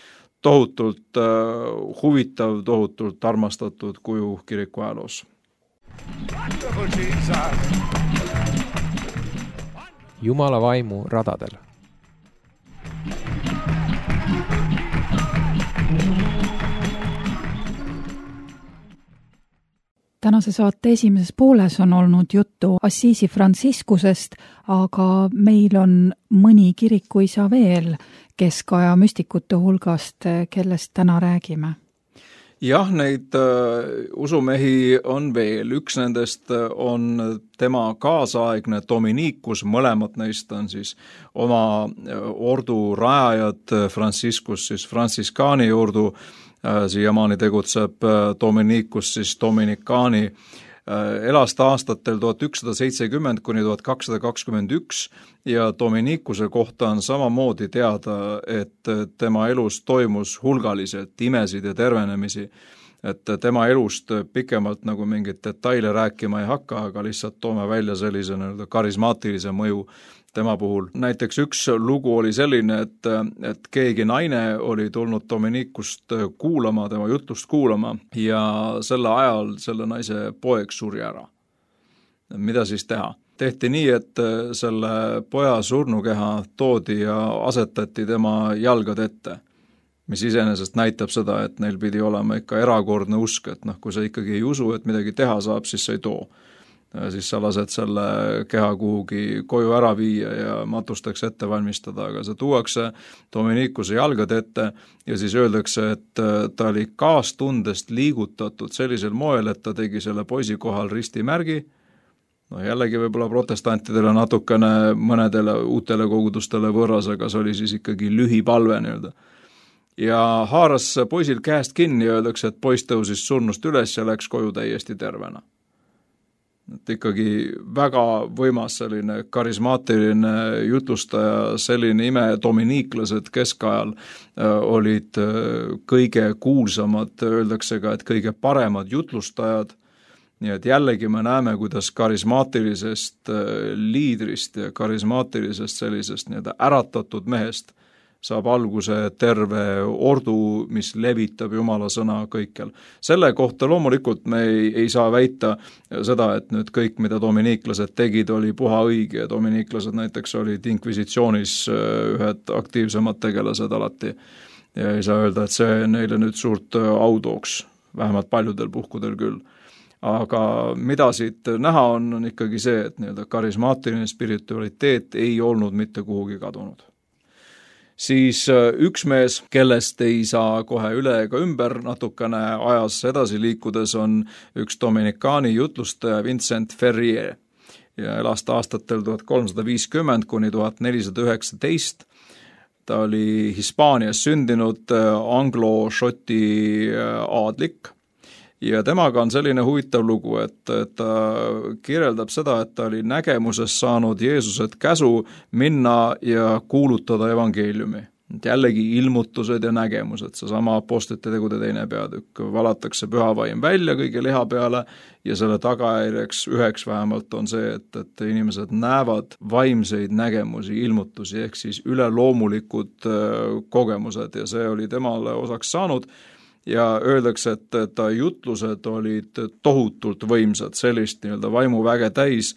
tohutult huvitav, tohutult armastatud kuju kiriku ajaloos. Jumala vaimu radadel. Tänase saate esimeses pooles on olnud juttu Assisi Franciscusest, aga meil on mõni kirikuisa veel keskaja müstikute hulgast, kellest täna räägime. Jah, neid usumehi on veel. Üks nendest on tema kaasaegne Dominikus, mõlemad neist on siis oma ordu rajajad, Franciscus siis Franciscani ordu, siiamaani tegutseb Dominikus siis Dominikaani, elas ta aastatel 1170 kuni 1221 ja Dominikuse kohta on samamoodi teada, et tema elus toimus hulgaliselt imesid ja tervenemisi, et tema elust pikemalt nagu mingit detaile rääkima ei hakka, aga lihtsalt toome välja sellise karismaatilise mõju tema puhul. Näiteks üks lugu oli selline, et keegi naine oli tulnud Dominikust kuulama, tema jutlust kuulama ja selle ajal selle naise poeg suri ära. Mida siis teha? Tehti nii, et selle poja surnukeha toodi ja asetati tema jalgade ette. mis iseenesest näitab seda, et neil pidi olema ikka erakordne usk, et noh, kui sa ikkagi ei usu, et midagi teha saab, siis sa ei too. Siis sa lased selle keha kuhugi koju ära viia ja matusteks ette valmistada, aga see tuuakse Dominicuse jalgade ette ja siis öeldakse, et ta oli kaastundest liigutatud sellisel moel, et ta tegi selle poisi kohal ristimärgi. No jällegi võib-olla protestantidele natukene mõnedele uutele kogudustele võrras, aga see oli siis ikkagi lühipalve nii-öelda. Ja haaras poisil käest kinni ja öeldakse, et poiss tõusis surnust üles ja läks koju täiesti tervena. Et ikkagi väga võimas selline karismaatiline jutlustaja, selline ime dominiiklased keskajal olid kõige kuulsamad, öeldakse ka, et kõige paremad jutlustajad. Nii et jällegi me näeme, kuidas karismaatilisest liidrist ja karismaatilisest sellisest nii-öelda äratatud mehest saab alguse terve ordu, mis levitab Jumala sõna kõikjal. Selle kohta loomulikult me ei saa väita seda, et nüüd kõik, mida dominiiklased tegid, oli puha õige ja dominiiklased näiteks olid inkvisitsioonis ühed aktiivsemad tegelased alati. Ja ei saa öelda, et see neile nüüd suurt au tooks, vähemalt paljudel puhkudel küll. Aga mida siit näha on ikkagi see, et nii-öelda karismaatiline spiritualiteet ei olnud mitte kuhugi kadunud. Siis üks mees, kellest ei saa kohe üle ega ümber, natukene ajas edasi liikudes on üks dominikaani jutlustaja Vincent Ferrier ja elas aastatel 1350 kuni 1419. Ta oli Hispaanias sündinud anglo-šoti aadlik ja temaga on selline huvitav lugu, et ta kirjeldab seda, et ta oli nägemuses saanud Jeesuselt käsu minna ja kuulutada evangeeliumi. Jällegi ilmutused ja nägemused, seesama apostlite tegude teine peatükk, valatakse pühavaim välja kõige liha peale ja selle tagajärjeks üheks vähemalt on see, et inimesed näevad vaimseid nägemusi, ilmutusi ehk siis üleloomulikud kogemused ja see oli temale osaks saanud. Ja öeldakse, et ta jutlused olid tohutult võimsad, sellist nii-öelda vaimuväge täis,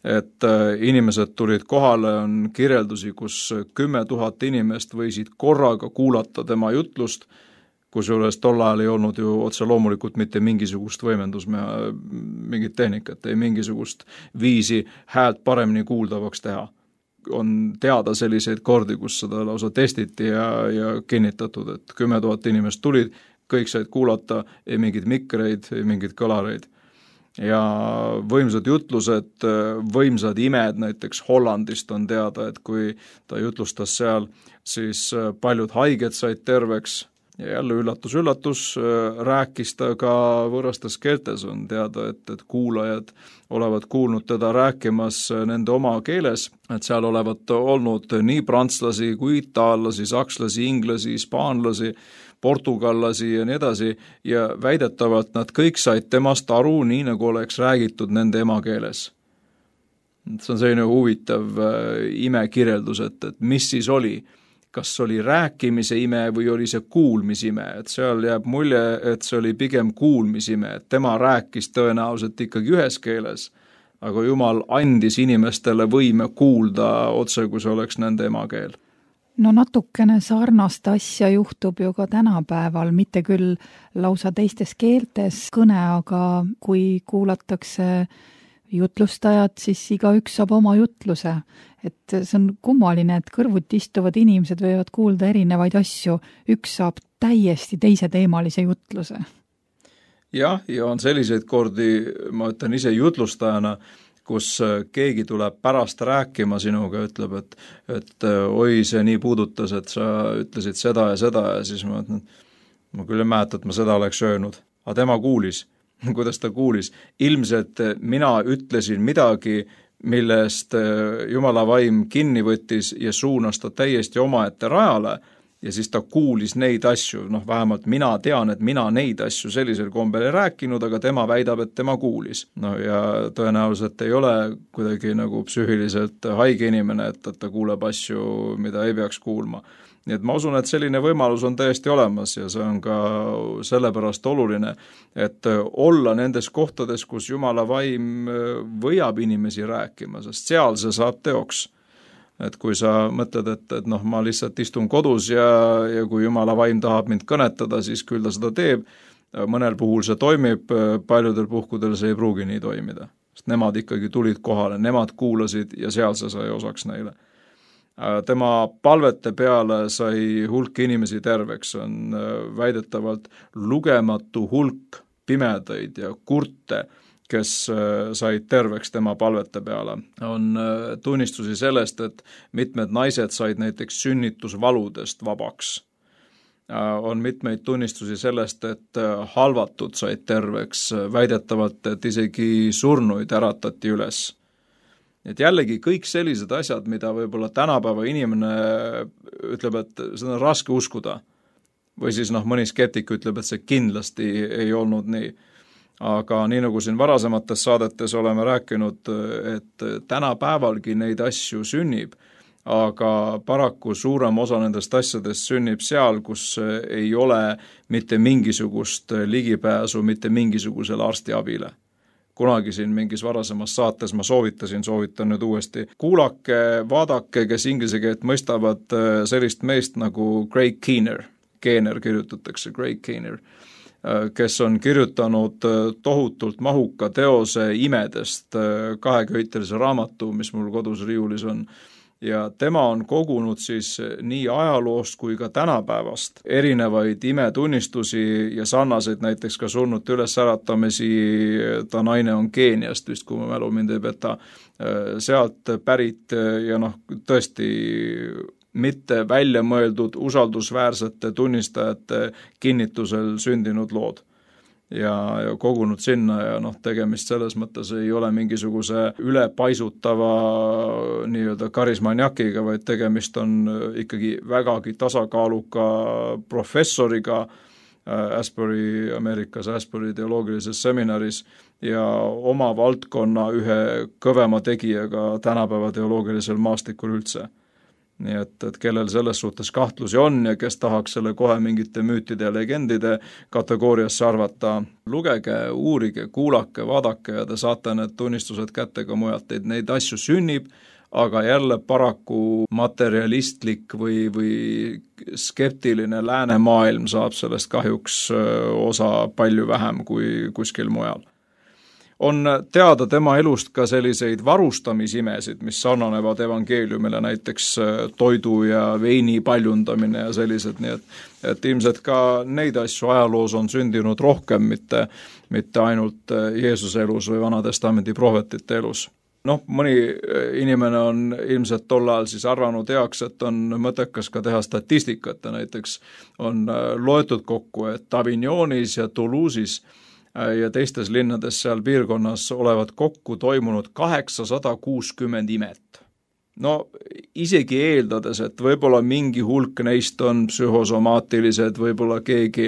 et inimesed tulid kohale, on kirjeldusi, kus 10 000 inimest võisid korraga kuulata tema jutlust, kusjuures tol ajal ei olnud ju otse loomulikult mitte mingisugust võimendus, mingit tehnikat, ei mingisugust viisi häält paremini kuuldavaks teha. On teada selliseid kordi, kus seda lausa testiti ja kinnitatud, et 10 000 inimest tulid, kõik said kuulata, ei mingid mikreid, ei mingid kõlareid. Ja võimsad jutlused, võimsad imed, näiteks Hollandist on teada, et kui ta jutlustas seal, siis paljud haiged said terveks ja jälle üllatus, rääkis ta ka võõrastes keeltes, on teada, et kuulajad olevat kuulnud teda rääkimas nende oma keeles, et seal olevat olnud nii prantslasi kui itaallasi, sakslasi, inglasi, hispaanlasi, portugallasi ja nii edasi ja väidetavalt nad kõik said temast aru nii, nagu oleks räägitud nende emakeeles. See on selline huvitav imekirjeldus, et mis siis oli, kas oli rääkimise ime või oli see kuulmisime, et seal jääb mulje, et see oli pigem kuulmisime, et tema rääkis tõenäoliselt ikkagi ühes keeles, aga Jumal andis inimestele võime kuulda otse, kui see oleks nende emakeel. No natukene sarnast asja juhtub ju ka tänapäeval, mitte küll lausa teistes keeltes kõne, aga kui kuulatakse jutlustajat, siis igaüks saab oma jutluse. Et see on kummaline, et kõrvuti istuvad inimesed võivad kuulda erinevaid asju, üks saab täiesti teise teemalise jutluse. Jah, ja on selliseid kordi, ma ütlen ise jutlustajana, kus keegi tuleb pärast rääkima sinuga, ütleb, et oi, see nii puudutas, et sa ütlesid seda ja siis ma ütlen, ma küll ei mäleta, et ma seda oleks öelnud. Aga tema kuulis. Kuidas ta kuulis? Ilmselt mina ütlesin midagi, millest Jumala vaim kinni võttis ja suunas ta täiesti omaette rajale ja siis ta kuulis neid asju, vähemalt mina tean, et mina neid asju sellisel kombel ei rääkinud, aga tema väidab, et tema kuulis. Ja tõenäoliselt ei ole kuidagi nagu psüühiliselt haige inimene, et ta kuuleb asju, mida ei peaks kuulma. Nii et ma usun, et selline võimalus on täiesti olemas ja see on ka sellepärast oluline, et olla nendes kohtades, kus Jumala vaim võjab inimesi rääkima, sest seal see saab teoks. Et kui sa mõtled, et noh, ma lihtsalt istun kodus ja kui Jumala vaim tahab mind kõnetada, siis küll ta seda teeb. Mõnel puhul see toimib, paljudel puhkudel see ei pruugi nii toimida. Sest nemad ikkagi tulid kohale, nemad kuulasid ja seal see sai osaks neile. Tema palvete peale sai hulk inimesi terveks, on väidetavalt lugematu hulk pimedaid ja kurte, kes said terveks tema palvete peale. On tunnistusi sellest, et mitmed naised said näiteks sünnitusvaludest vabaks. On mitmeid tunnistusi sellest, et halvatud said terveks, väidetavalt, et isegi surnuid äratati üles. Et jällegi kõik sellised asjad, mida võib-olla tänapäeva inimene ütleb, et seda on raske uskuda. Või siis mõni skeptik ütleb, et see kindlasti ei olnud nii. Aga nii nagu siin varasemates saadetes oleme rääkinud, et tänapäevalgi neid asju sünnib, aga paraku suurem osa nendest asjadest sünnib seal, kus ei ole mitte mingisugust ligipääsu mitte mingisugusele arstiabile. Kunagi siin mingis varasemas saates ma soovitan nüüd uuesti. Kuulake, vaadake, kes inglise keelt mõistavad sellist meest nagu Craig Keener. Keener kirjutatakse, Craig Keener, kes on kirjutanud tohutult mahuka teose imedest, 2-köitelise raamatu, mis mul kodus riiulis on. Ja tema on kogunud siis nii ajaloost kui ka tänapäevast erinevaid imetunnistusi ja sarnaseid näiteks ka surnute ülesäratamisi. Ta naine on Keeniast, vist kui ma mälu mind ei peta, sealt pärit ja tõesti mitte välja mõeldud usaldusväärsete tunnistajate kinnitusel sündinud lood. Ja kogunud sinna ja tegemist selles mõttes ei ole mingisuguse ülepaisutava nii-öelda karismaniakiga, vaid tegemist on ikkagi vägagi tasakaaluka professoriga Ameerikas Asbury teoloogilises seminaris ja oma valdkonna ühe kõvema tegijaga tänapäeva teoloogilisel maastikul üldse. Nii et kellel selles suhtes kahtlusi on ja kes tahaks selle kohe mingite müütide ja legendide kategooriasse arvata, lugege, uurige, kuulake, vaadake ja te saate need tunnistused kätte ka mujalt. Neid asju sünnib, aga jälle paraku materialistlik või skeptiline läänemaailm saab sellest kahjuks osa palju vähem kui kuskil mujal. On teada tema elust ka selliseid varustamisimesid, mis sarnanevad evangeeliumile, näiteks toidu ja veini paljundamine ja sellised, nii et ilmselt ka neid asju ajaloos on sündinud rohkem, mitte ainult Jeesuse elus või Vanatestamendi prohvetite elus. Mõni inimene on ilmselt tol ajal siis arvanud heaks, et on mõttekas ka teha statistikat ja näiteks on loetud kokku, et Avignonis ja Toulouse'is ja teistes linnades seal piirkonnas olevat kokku toimunud 860 imet. Isegi eeldades, et võib-olla mingi hulk neist on psühhosomaatilised, võib-olla keegi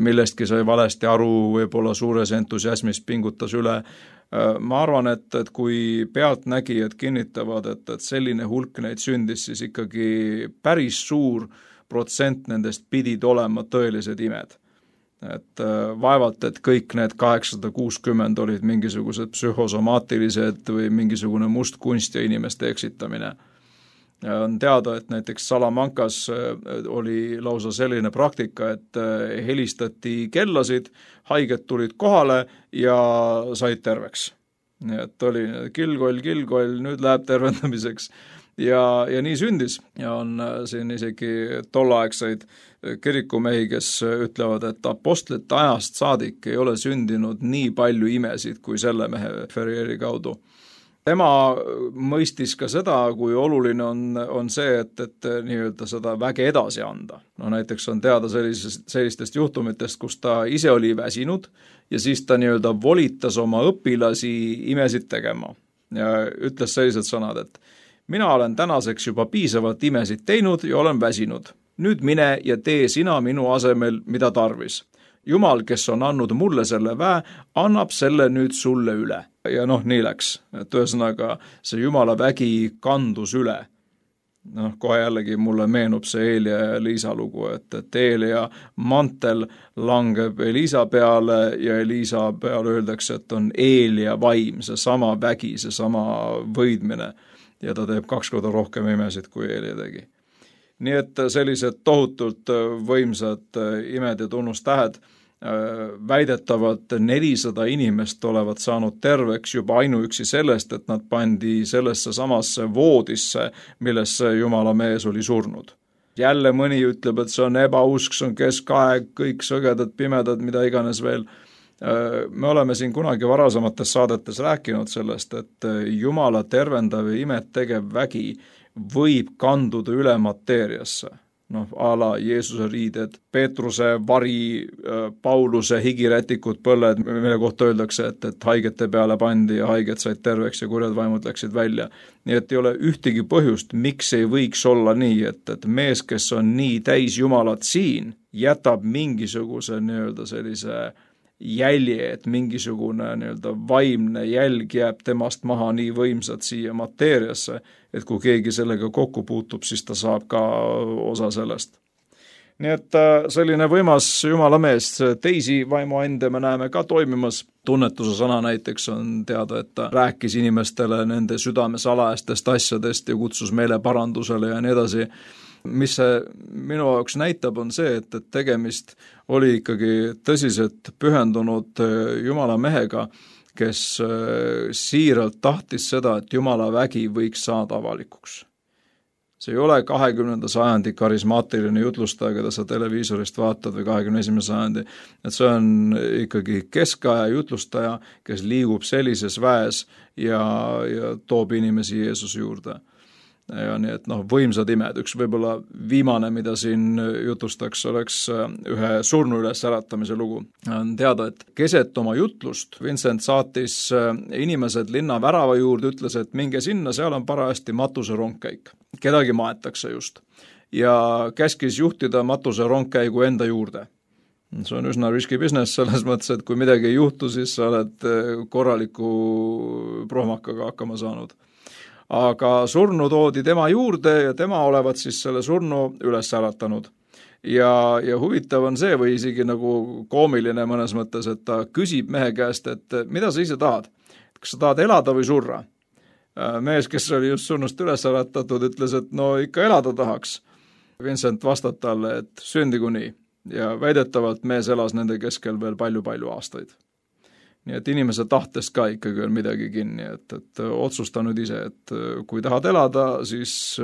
millestki sai valesti aru, võib-olla suures entusiasmis pingutas üle. Ma arvan, et kui pealtnägijad kinnitavad, et selline hulk neid sündis, siis ikkagi päris suur protsent nendest pidid olema tõelised imed. Et vaevalt, et kõik need 860 olid mingisugused psühhosomaatilised või mingisugune must kunst ja inimeste eksitamine. On teada, et näiteks Salamancas oli lausa selline praktika, et helistati kellasid, haiged tulid kohale ja said terveks. Nii et oli kilgoll, nüüd läheb tervendamiseks. Ja nii sündis ja on siin isegi tollaegseid kirikumehi, kes ütlevad, et apostlite ajast saadik ei ole sündinud nii palju imesid kui selle mehe Ferrieri kaudu. Tema mõistis ka seda, kui oluline on see, et nii-öelda seda väge edasi anda. Näiteks on teada sellistest juhtumitest, kus ta ise oli väsinud ja siis ta nii-öelda volitas oma õpilasi imesid tegema ja ütles sellised sõnad, et mina olen tänaseks juba piisavalt imesid teinud ja olen väsinud. Nüüd mine ja tee sina minu asemel, mida tarvis. Jumal, kes on andnud mulle selle väe, annab selle nüüd sulle üle. Ja nii läks. Et ühesõnaga see Jumala vägi kandus üle. Kohe jällegi mulle meenub see Eelia ja Eliisa lugu, et Eelia mantel langeb Eliisa peale ja Eliisa peale öeldakse, et on Eelia vaim, see sama vägi, see sama võidmine. ja ta teeb 2 korda rohkem imesid, kui Eelia tegi. Nii et sellised tohutult võimsad imed ja tunnustähed, väidetavalt 400 inimest olevat saanud terveks juba ainuüksi sellest, et nad pandi sellesse samasse voodisse, millesse Jumala mees oli surnud. Jälle mõni ütleb, et see on ebausk, see on keskaeg, kõik sõgedad, pimedad, mida iganes veel. Me oleme siin kunagi varasemates saadetes rääkinud sellest, et Jumala tervendav ja imet tegev vägi võib kanduda üle mateeriasse. A la Jeesuse riided, Peetruse vari, Pauluse higirätikud, põlled, mille kohta öeldakse, et haigete peale pandi ja haiged said terveks ja kurjad vaimud läksid välja. Nii et ei ole ühtegi põhjust, miks ei võiks olla nii, et mees, kes on nii täis Jumalat siin, jätab mingisuguse sellise jälje, et mingisugune vaimne jälg jääb temast maha nii võimsad siia mateeriasse, et kui keegi sellega kokku puutub, siis ta saab ka osa sellest. Nii et selline võimas Jumala mees, teisi vaimuande me näeme ka toimimas. Tunnetuse sõna näiteks on teada, et ta rääkis inimestele nende südame salajastest asjadest ja kutsus meile parandusele ja nii edasi. Mis see minu jaoks näitab, on see, et tegemist oli ikkagi tõsiselt pühendunud Jumala mehega, kes siiralt tahtis seda, et Jumala vägi võiks saada avalikuks. See ei ole 20. sajandi karismaatiline jutlustaja, keda sa televiisorist vaatad või 21. sajandi, et see on ikkagi keskaja jutlustaja, kes liigub sellises väes ja toob inimesi Jeesuse juurde. Ja nii, et võimsad imed. Üks võib-olla viimane, mida siin jutustaks, oleks ühe surnu üles äratamise lugu. On teada, et keset oma jutlust Vincent saatis inimesed linna värava juurde, ütles, et minge sinna, seal on parajasti matuse rongkäik. Kedagi maetakse just. Ja käskis juhtida matuse rongkäigu enda juurde. See on üsna riski business selles mõttes, et kui midagi ei juhtu, siis sa oled korraliku prohmakaga hakkama saanud. Aga surnu toodi tema juurde ja tema olevat siis selle surnu üles äratanud. Ja huvitav on see või isegi nagu koomiline mõnes mõttes, et ta küsib mehe käest, et mida sa ise tahad? Kas sa tahad elada või surra? Mees, kes oli just surnust üles äratatud, ütles, et no ikka elada tahaks. Vincent vastab talle, et sündigu nii. Ja väidetavalt mees elas nende keskel veel palju aastaid. Nii et inimese tahtest ka ikkagi on midagi kinni, et otsusta nüüd ise, et kui tahad elada, siis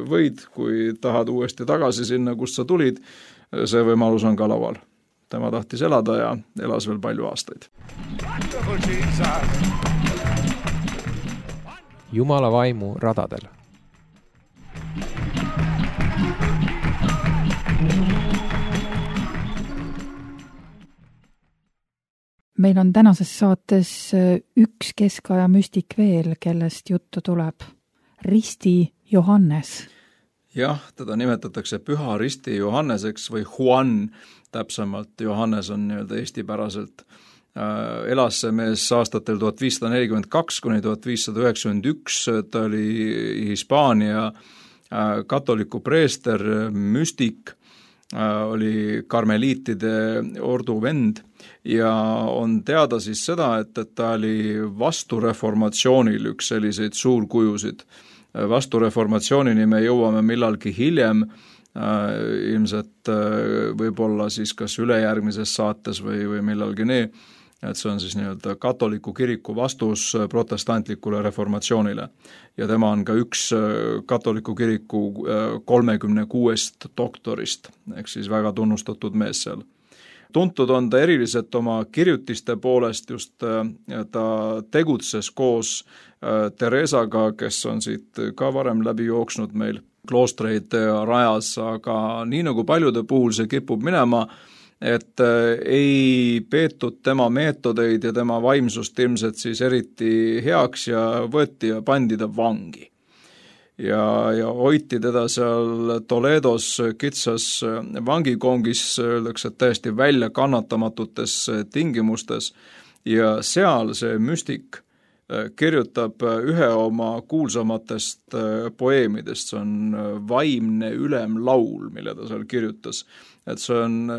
võid, kui tahad uuesti tagasi sinna, kust sa tulid, see võimalus on ka laual. Tema tahtis elada ja elas veel palju aastaid. Jumala vaimu radadel. Meil on tänases saates üks keskaja müstik veel, kellest juttu tuleb. Risti Johannes. Jah, teda nimetatakse Püha Risti Johanneseks või Juan, täpsemalt Johannes on eestipäraselt. Elas see mees aastatel 1542 kuni 1591, ta oli Hispaania katoliku preester, müstik, oli karmeliitide ordu vend ja on teada siis seda, et ta oli vastureformatsioonil üks selliseid suurkujusid. Vastureformatsioonini me jõuame millalgi hiljem, ilmselt võib-olla siis kas ülejärgmises saates või millalgi nii, et see on siis katoliku kiriku vastus protestantlikule reformatsioonile. Ja tema on ka üks katoliku kiriku 36 doktorist, ehk siis väga tunnustatud mees seal. Tuntud on ta eriliselt oma kirjutiste poolest, just ta tegutses koos Teresaga, kes on siit ka varem läbi jooksnud meil kloostreid rajas, aga nii nagu paljude puhul see kipub minema, et ei peetud tema meetodeid ja tema vaimsust ilmselt siis eriti heaks ja võeti ja pandi ta vangi. Ja hoiti teda seal Toledos kitsas vangikongis, öeldakse, et täiesti välja kannatamatutes tingimustes ja seal see müstik kirjutab ühe oma kuulsamatest poeemidest, see on Vaimne ülemlaul, mille ta seal kirjutas. Et see on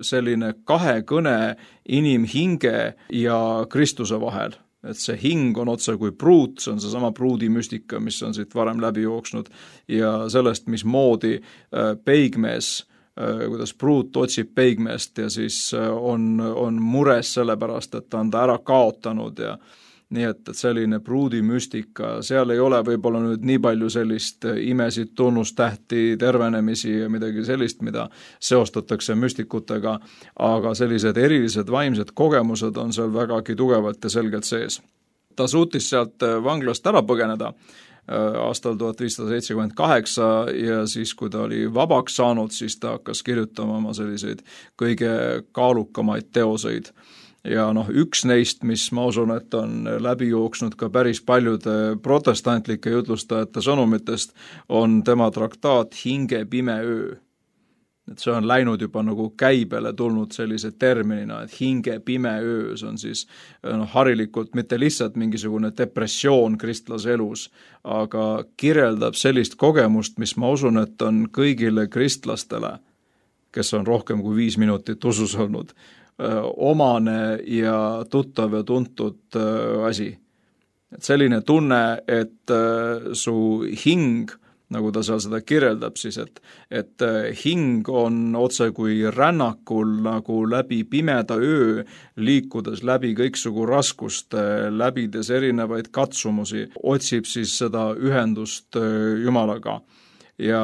selline kahekõne inimhinge ja Kristuse vahel. et see hing on otse kui pruut, see on seesama pruudimüstika, mis on siit varem läbi jooksnud ja sellest, mismoodi peigmees, kuidas pruut otsib peigmeest ja siis on mures sellepärast, et ta on ta ära kaotanud ja nii et selline pruudimüstika, seal ei ole võib-olla nüüd nii palju sellist imesid, tunnustähti, tervenemisi ja midagi sellist, mida seostatakse müstikutega, aga sellised erilised vaimsed kogemused on seal vägagi tugevalt ja selgelt sees. Ta suutis sealt vanglast ära põgeneda aastal 1578 ja siis, kui ta oli vabaks saanud, siis ta hakkas kirjutama oma selliseid kõige kaalukamaid teoseid. Ja üks neist, mis ma usun, et on läbi jooksnud ka päris paljude protestantlike jutlustajate sõnumitest, on tema traktaat Hinge pime öö. Et see on läinud juba nagu käibele tulnud sellise terminina, et hinge pime öö, see on siis harilikult mitte lihtsalt mingisugune depressioon kristlase elus, aga kirjeldab sellist kogemust, mis ma usun, et on kõigile kristlastele, kes on rohkem kui 5 minutit usus olnud, omane ja tuttav ja tuntud asi. Et selline tunne, et su hing, nagu ta seal seda kirjeldab siis, et hing on otse kui rännakul nagu läbi pimeda öö, liikudes läbi kõiksugu raskuste, läbides erinevaid katsumusi, otsib siis seda ühendust Jumalaga. Ja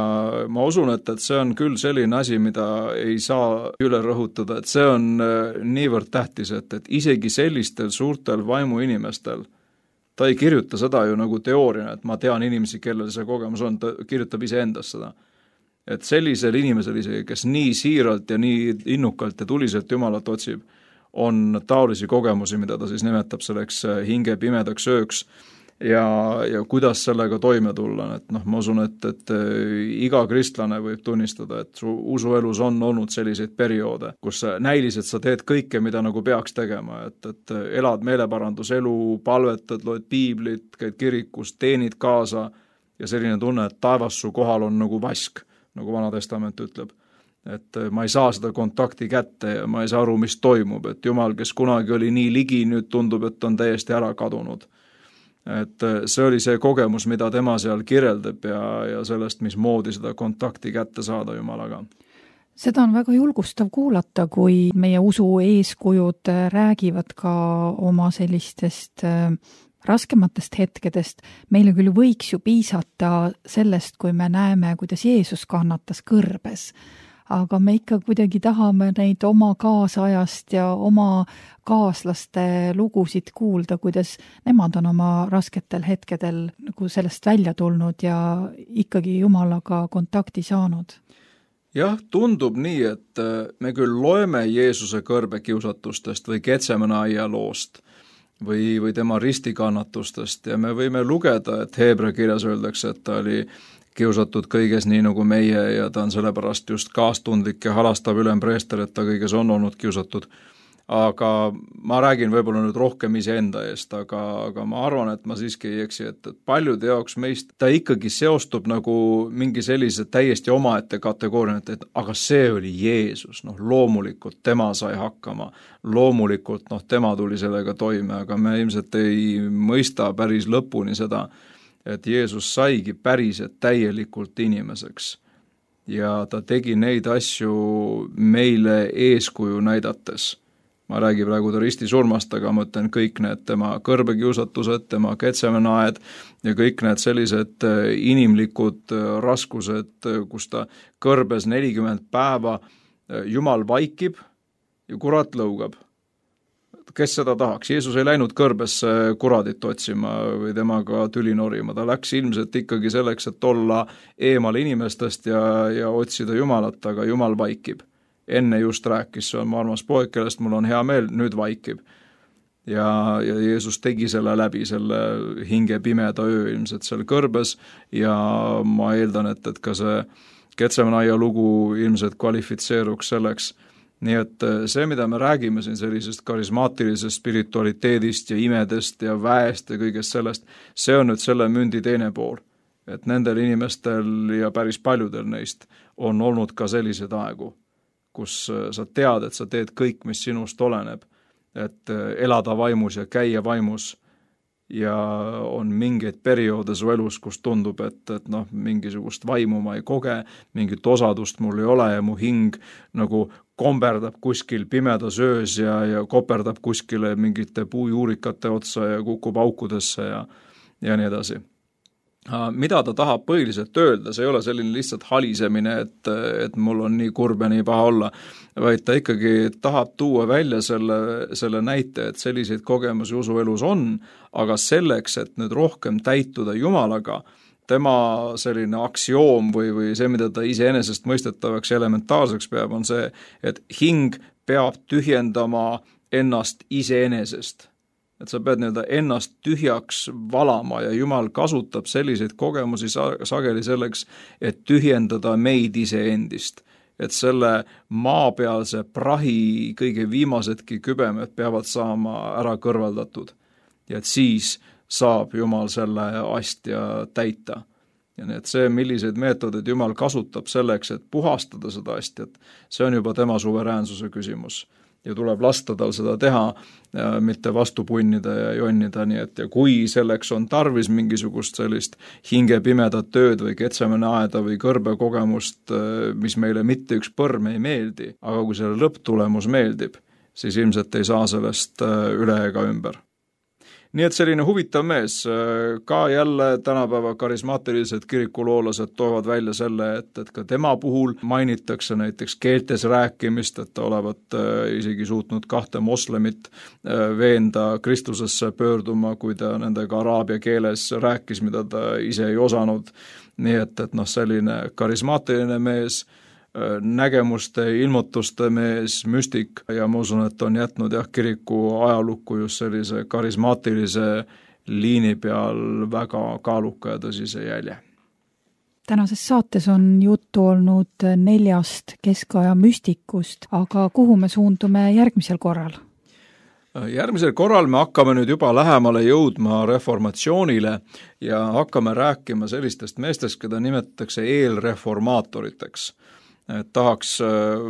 ma usun, et see on küll selline asi, mida ei saa üle rõhutada, et see on niivõrd tähtis, et isegi sellistel suurtel vaimuinimestel, ta ei kirjuta seda ju nagu teooriana, et ma tean inimesi, kellel see kogemus on, ta kirjutab iseendast seda. Et sellisel inimesel isegi, kes nii siiralt ja nii innukalt ja tuliselt Jumalat otsib, on taolisi kogemusi, mida ta siis nimetab selleks hinge pimedaks ööks, ja kuidas sellega toime tulla, et ma usun, et iga kristlane võib tunnistada, et su usuelus on olnud selliseid perioode, kus näiliselt sa teed kõike, mida nagu peaks tegema, et elad meeleparanduselu, palvetad, loed piiblit, käid kirikus, teenid kaasa ja selline tunne, et taevas su kohal on nagu vask, nagu Vana Testament ütleb. Et ma ei saa seda kontakti kätte ja ma ei saa aru, mis toimub, et Jumal, kes kunagi oli nii ligi, nüüd tundub, et on täiesti ära kadunud. Et see oli see kogemus, mida tema seal kirjeldab ja sellest, mismoodi seda kontakti kätte saada Jumalaga. Seda on väga julgustav kuulata, kui meie usu eeskujud räägivad ka oma sellistest raskematest hetkedest. Meile küll võiks ju piisata sellest, kui me näeme, kuidas Jeesus kannatas kõrbes. Aga me ikka kuidagi tahame neid oma kaasajast ja oma kaaslaste lugusid kuulda, kuidas nemad on oma rasketel hetkedel nagu sellest välja tulnud ja ikkagi Jumalaga kontakti saanud. Jah, tundub nii, et me küll loeme Jeesuse kõrbekiusatustest või Getsemane aia loost või tema ristikannatustest ja me võime lugeda, et Heebrea kirjas öeldakse, et ta oli kiusatud kõiges nii nagu meie ja ta on sellepärast just kaastundlik ja halastav ülempreester, et ta kõiges on olnud kiusatud. Aga ma räägin võib-olla nüüd rohkem iseenda eest, aga ma arvan, et ma siiski ei eksi, et paljude jaoks meist ta ikkagi seostub nagu mingi sellise täiesti omaette kategooria, et aga see oli Jeesus, loomulikult tema sai hakkama, loomulikult tema tuli sellega toime, aga me ilmselt ei mõista päris lõpuni seda, et Jeesus saigi päriselt täielikult inimeseks ja ta tegi neid asju meile eeskuju näidates. Ma räägin praegu ta ristisurmast, aga ma ütlen kõik need tema kõrbekiusatused, tema Getsemane aed ja kõik need sellised inimlikud raskused, kus ta kõrbes 40 päeva, Jumal vaikib ja kurat lõugab. Kes seda tahaks? Jeesus ei läinud kõrbesse kuradit otsima või temaga tüli norima. Ta läks ilmselt ikkagi selleks, et olla eemal inimestest ja otsida Jumalat, aga Jumal vaikib. Enne just rääkis, see on mu armas poeg, kellest mul on hea meel, nüüd vaikib. Ja Jeesus tegi selle läbi, selle hinge pimeda öö ilmselt seal kõrbes ja ma eeldan, et ka see Getsemane aia lugu ilmselt kvalifitseeruks selleks. Nii et see, mida me räägime siin sellisest karismaatilisest spiritualiteedist ja imedest ja väest ja kõigest sellest, see on nüüd selle mündi teine pool. Et nendel inimestel ja päris paljudel neist on olnud ka sellised aegu, kus sa tead, et sa teed kõik, mis sinust oleneb, et elada vaimus ja käia vaimus, ja on mingeid perioode su elus, kus tundub, et mingisugust vaimu ma ei koge, mingit osadust mul ei ole ja mu hing nagu komberdab kuskil pimedas öös ja koperdab kuskile mingite puujuurikate otsa ja kukub aukudesse ja nii edasi. Mida ta tahab põhiliselt öelda, see ei ole selline lihtsalt halisemine, et mul on nii kurb ja nii paha olla, vaid ta ikkagi tahab tuua välja selle näite, et selliseid kogemusi usuelus on, aga selleks, et nüüd rohkem täituda Jumalaga, tema selline aktsioom või see, mida ta iseenesest mõistetavaks elementaarseks peab, on see, et hing peab tühjendama ennast iseenesest. Et sa pead ennast tühjaks valama ja Jumal kasutab selliseid kogemusi sageli selleks, et tühjendada meid iseendist. Et selle maapealse prahi kõige viimasedki kübemed peavad saama ära kõrvaldatud. Ja et siis saab Jumal selle astja täita. Ja nii, et see, milliseid meetodid Jumal kasutab selleks, et puhastada seda astjat, see on juba tema suveräänsuse küsimus. Ja tuleb lasta tal seda teha, mitte vastu punnida ja jonnida, nii et ja kui selleks on tarvis mingisugust sellist hingepimedat tööd või Getsemane aeda või kõrbekogemust, mis meile mitte üks põrm ei meeldi, aga kui selle lõpptulemus meeldib, siis ilmselt ei saa sellest üle ega ümber. Nii et selline huvitav mees, ka jälle tänapäeva karismaatilised kirikuloolased toovad välja selle, et ka tema puhul mainitakse näiteks keeltes rääkimist, et ta olevat isegi suutnud 2 moslemit veenda Kristusesse pöörduma, kui ta nendega araabia keeles rääkis, mida ta ise ei osanud. Nii et selline karismaatiline mees, nägemuste, ilmutuste mees, müstik ja ma usun, et on jätnud kiriku ajalukku just sellise karismaatilise liini peal väga kaaluka ja tõsise jälje. Tänases saates on juttu olnud 4 keskaja müstikust, aga kuhu me suundume järgmisel korral? Järgmisel korral me hakkame nüüd juba lähemale jõudma reformatsioonile ja hakkame rääkima sellistest meestest, keda nimetatakse eelreformaatoriteks. Tahaks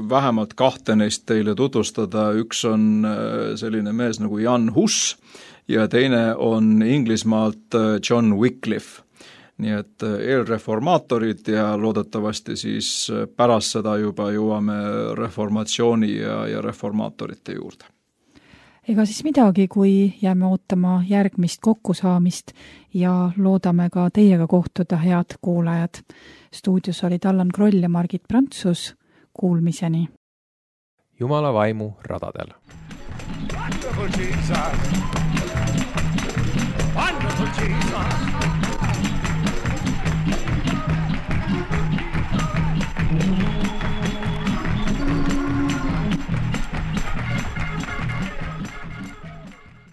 vähemalt 2 neist teile tutvustada, üks on selline mees nagu Jan Hus ja teine on Inglismaalt John Wycliffe. Nii et eelreformaatorid ja loodetavasti siis pärast seda juba jõuame reformatsiooni ja reformaatorite juurde. Ega siis midagi, kui jääme ootama järgmist kokkusaamist ja loodame ka teiega kohtuda, head kuulajad. Stuudios olid Allan Kroll ja Margit Prantsus. Kuulmiseni. Jumala vaimu radadel. Wonderful Jesus. Wonderful Jesus.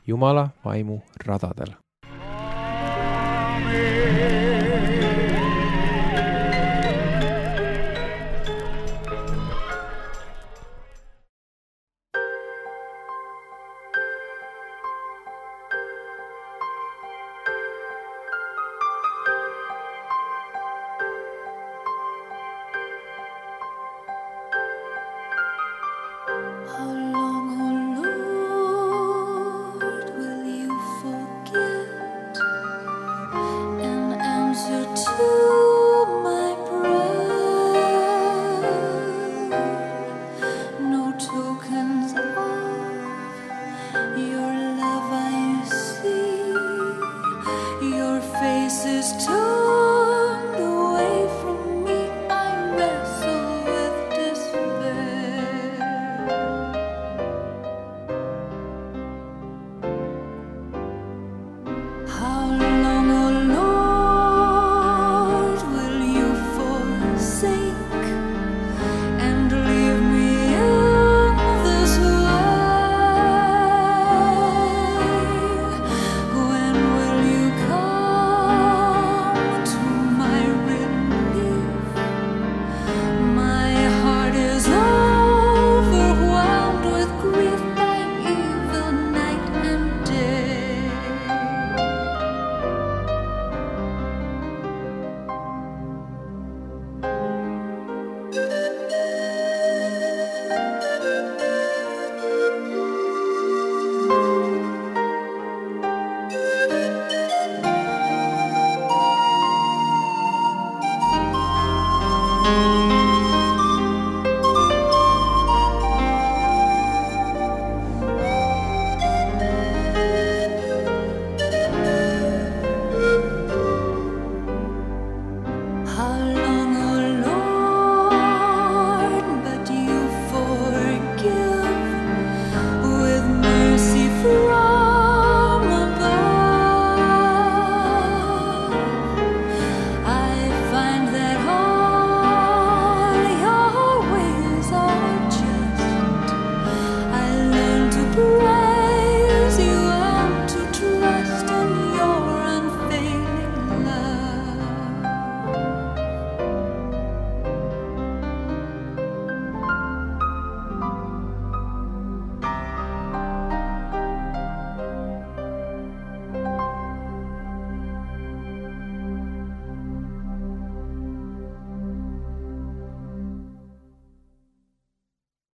Jumala vaimu radadel. Amen.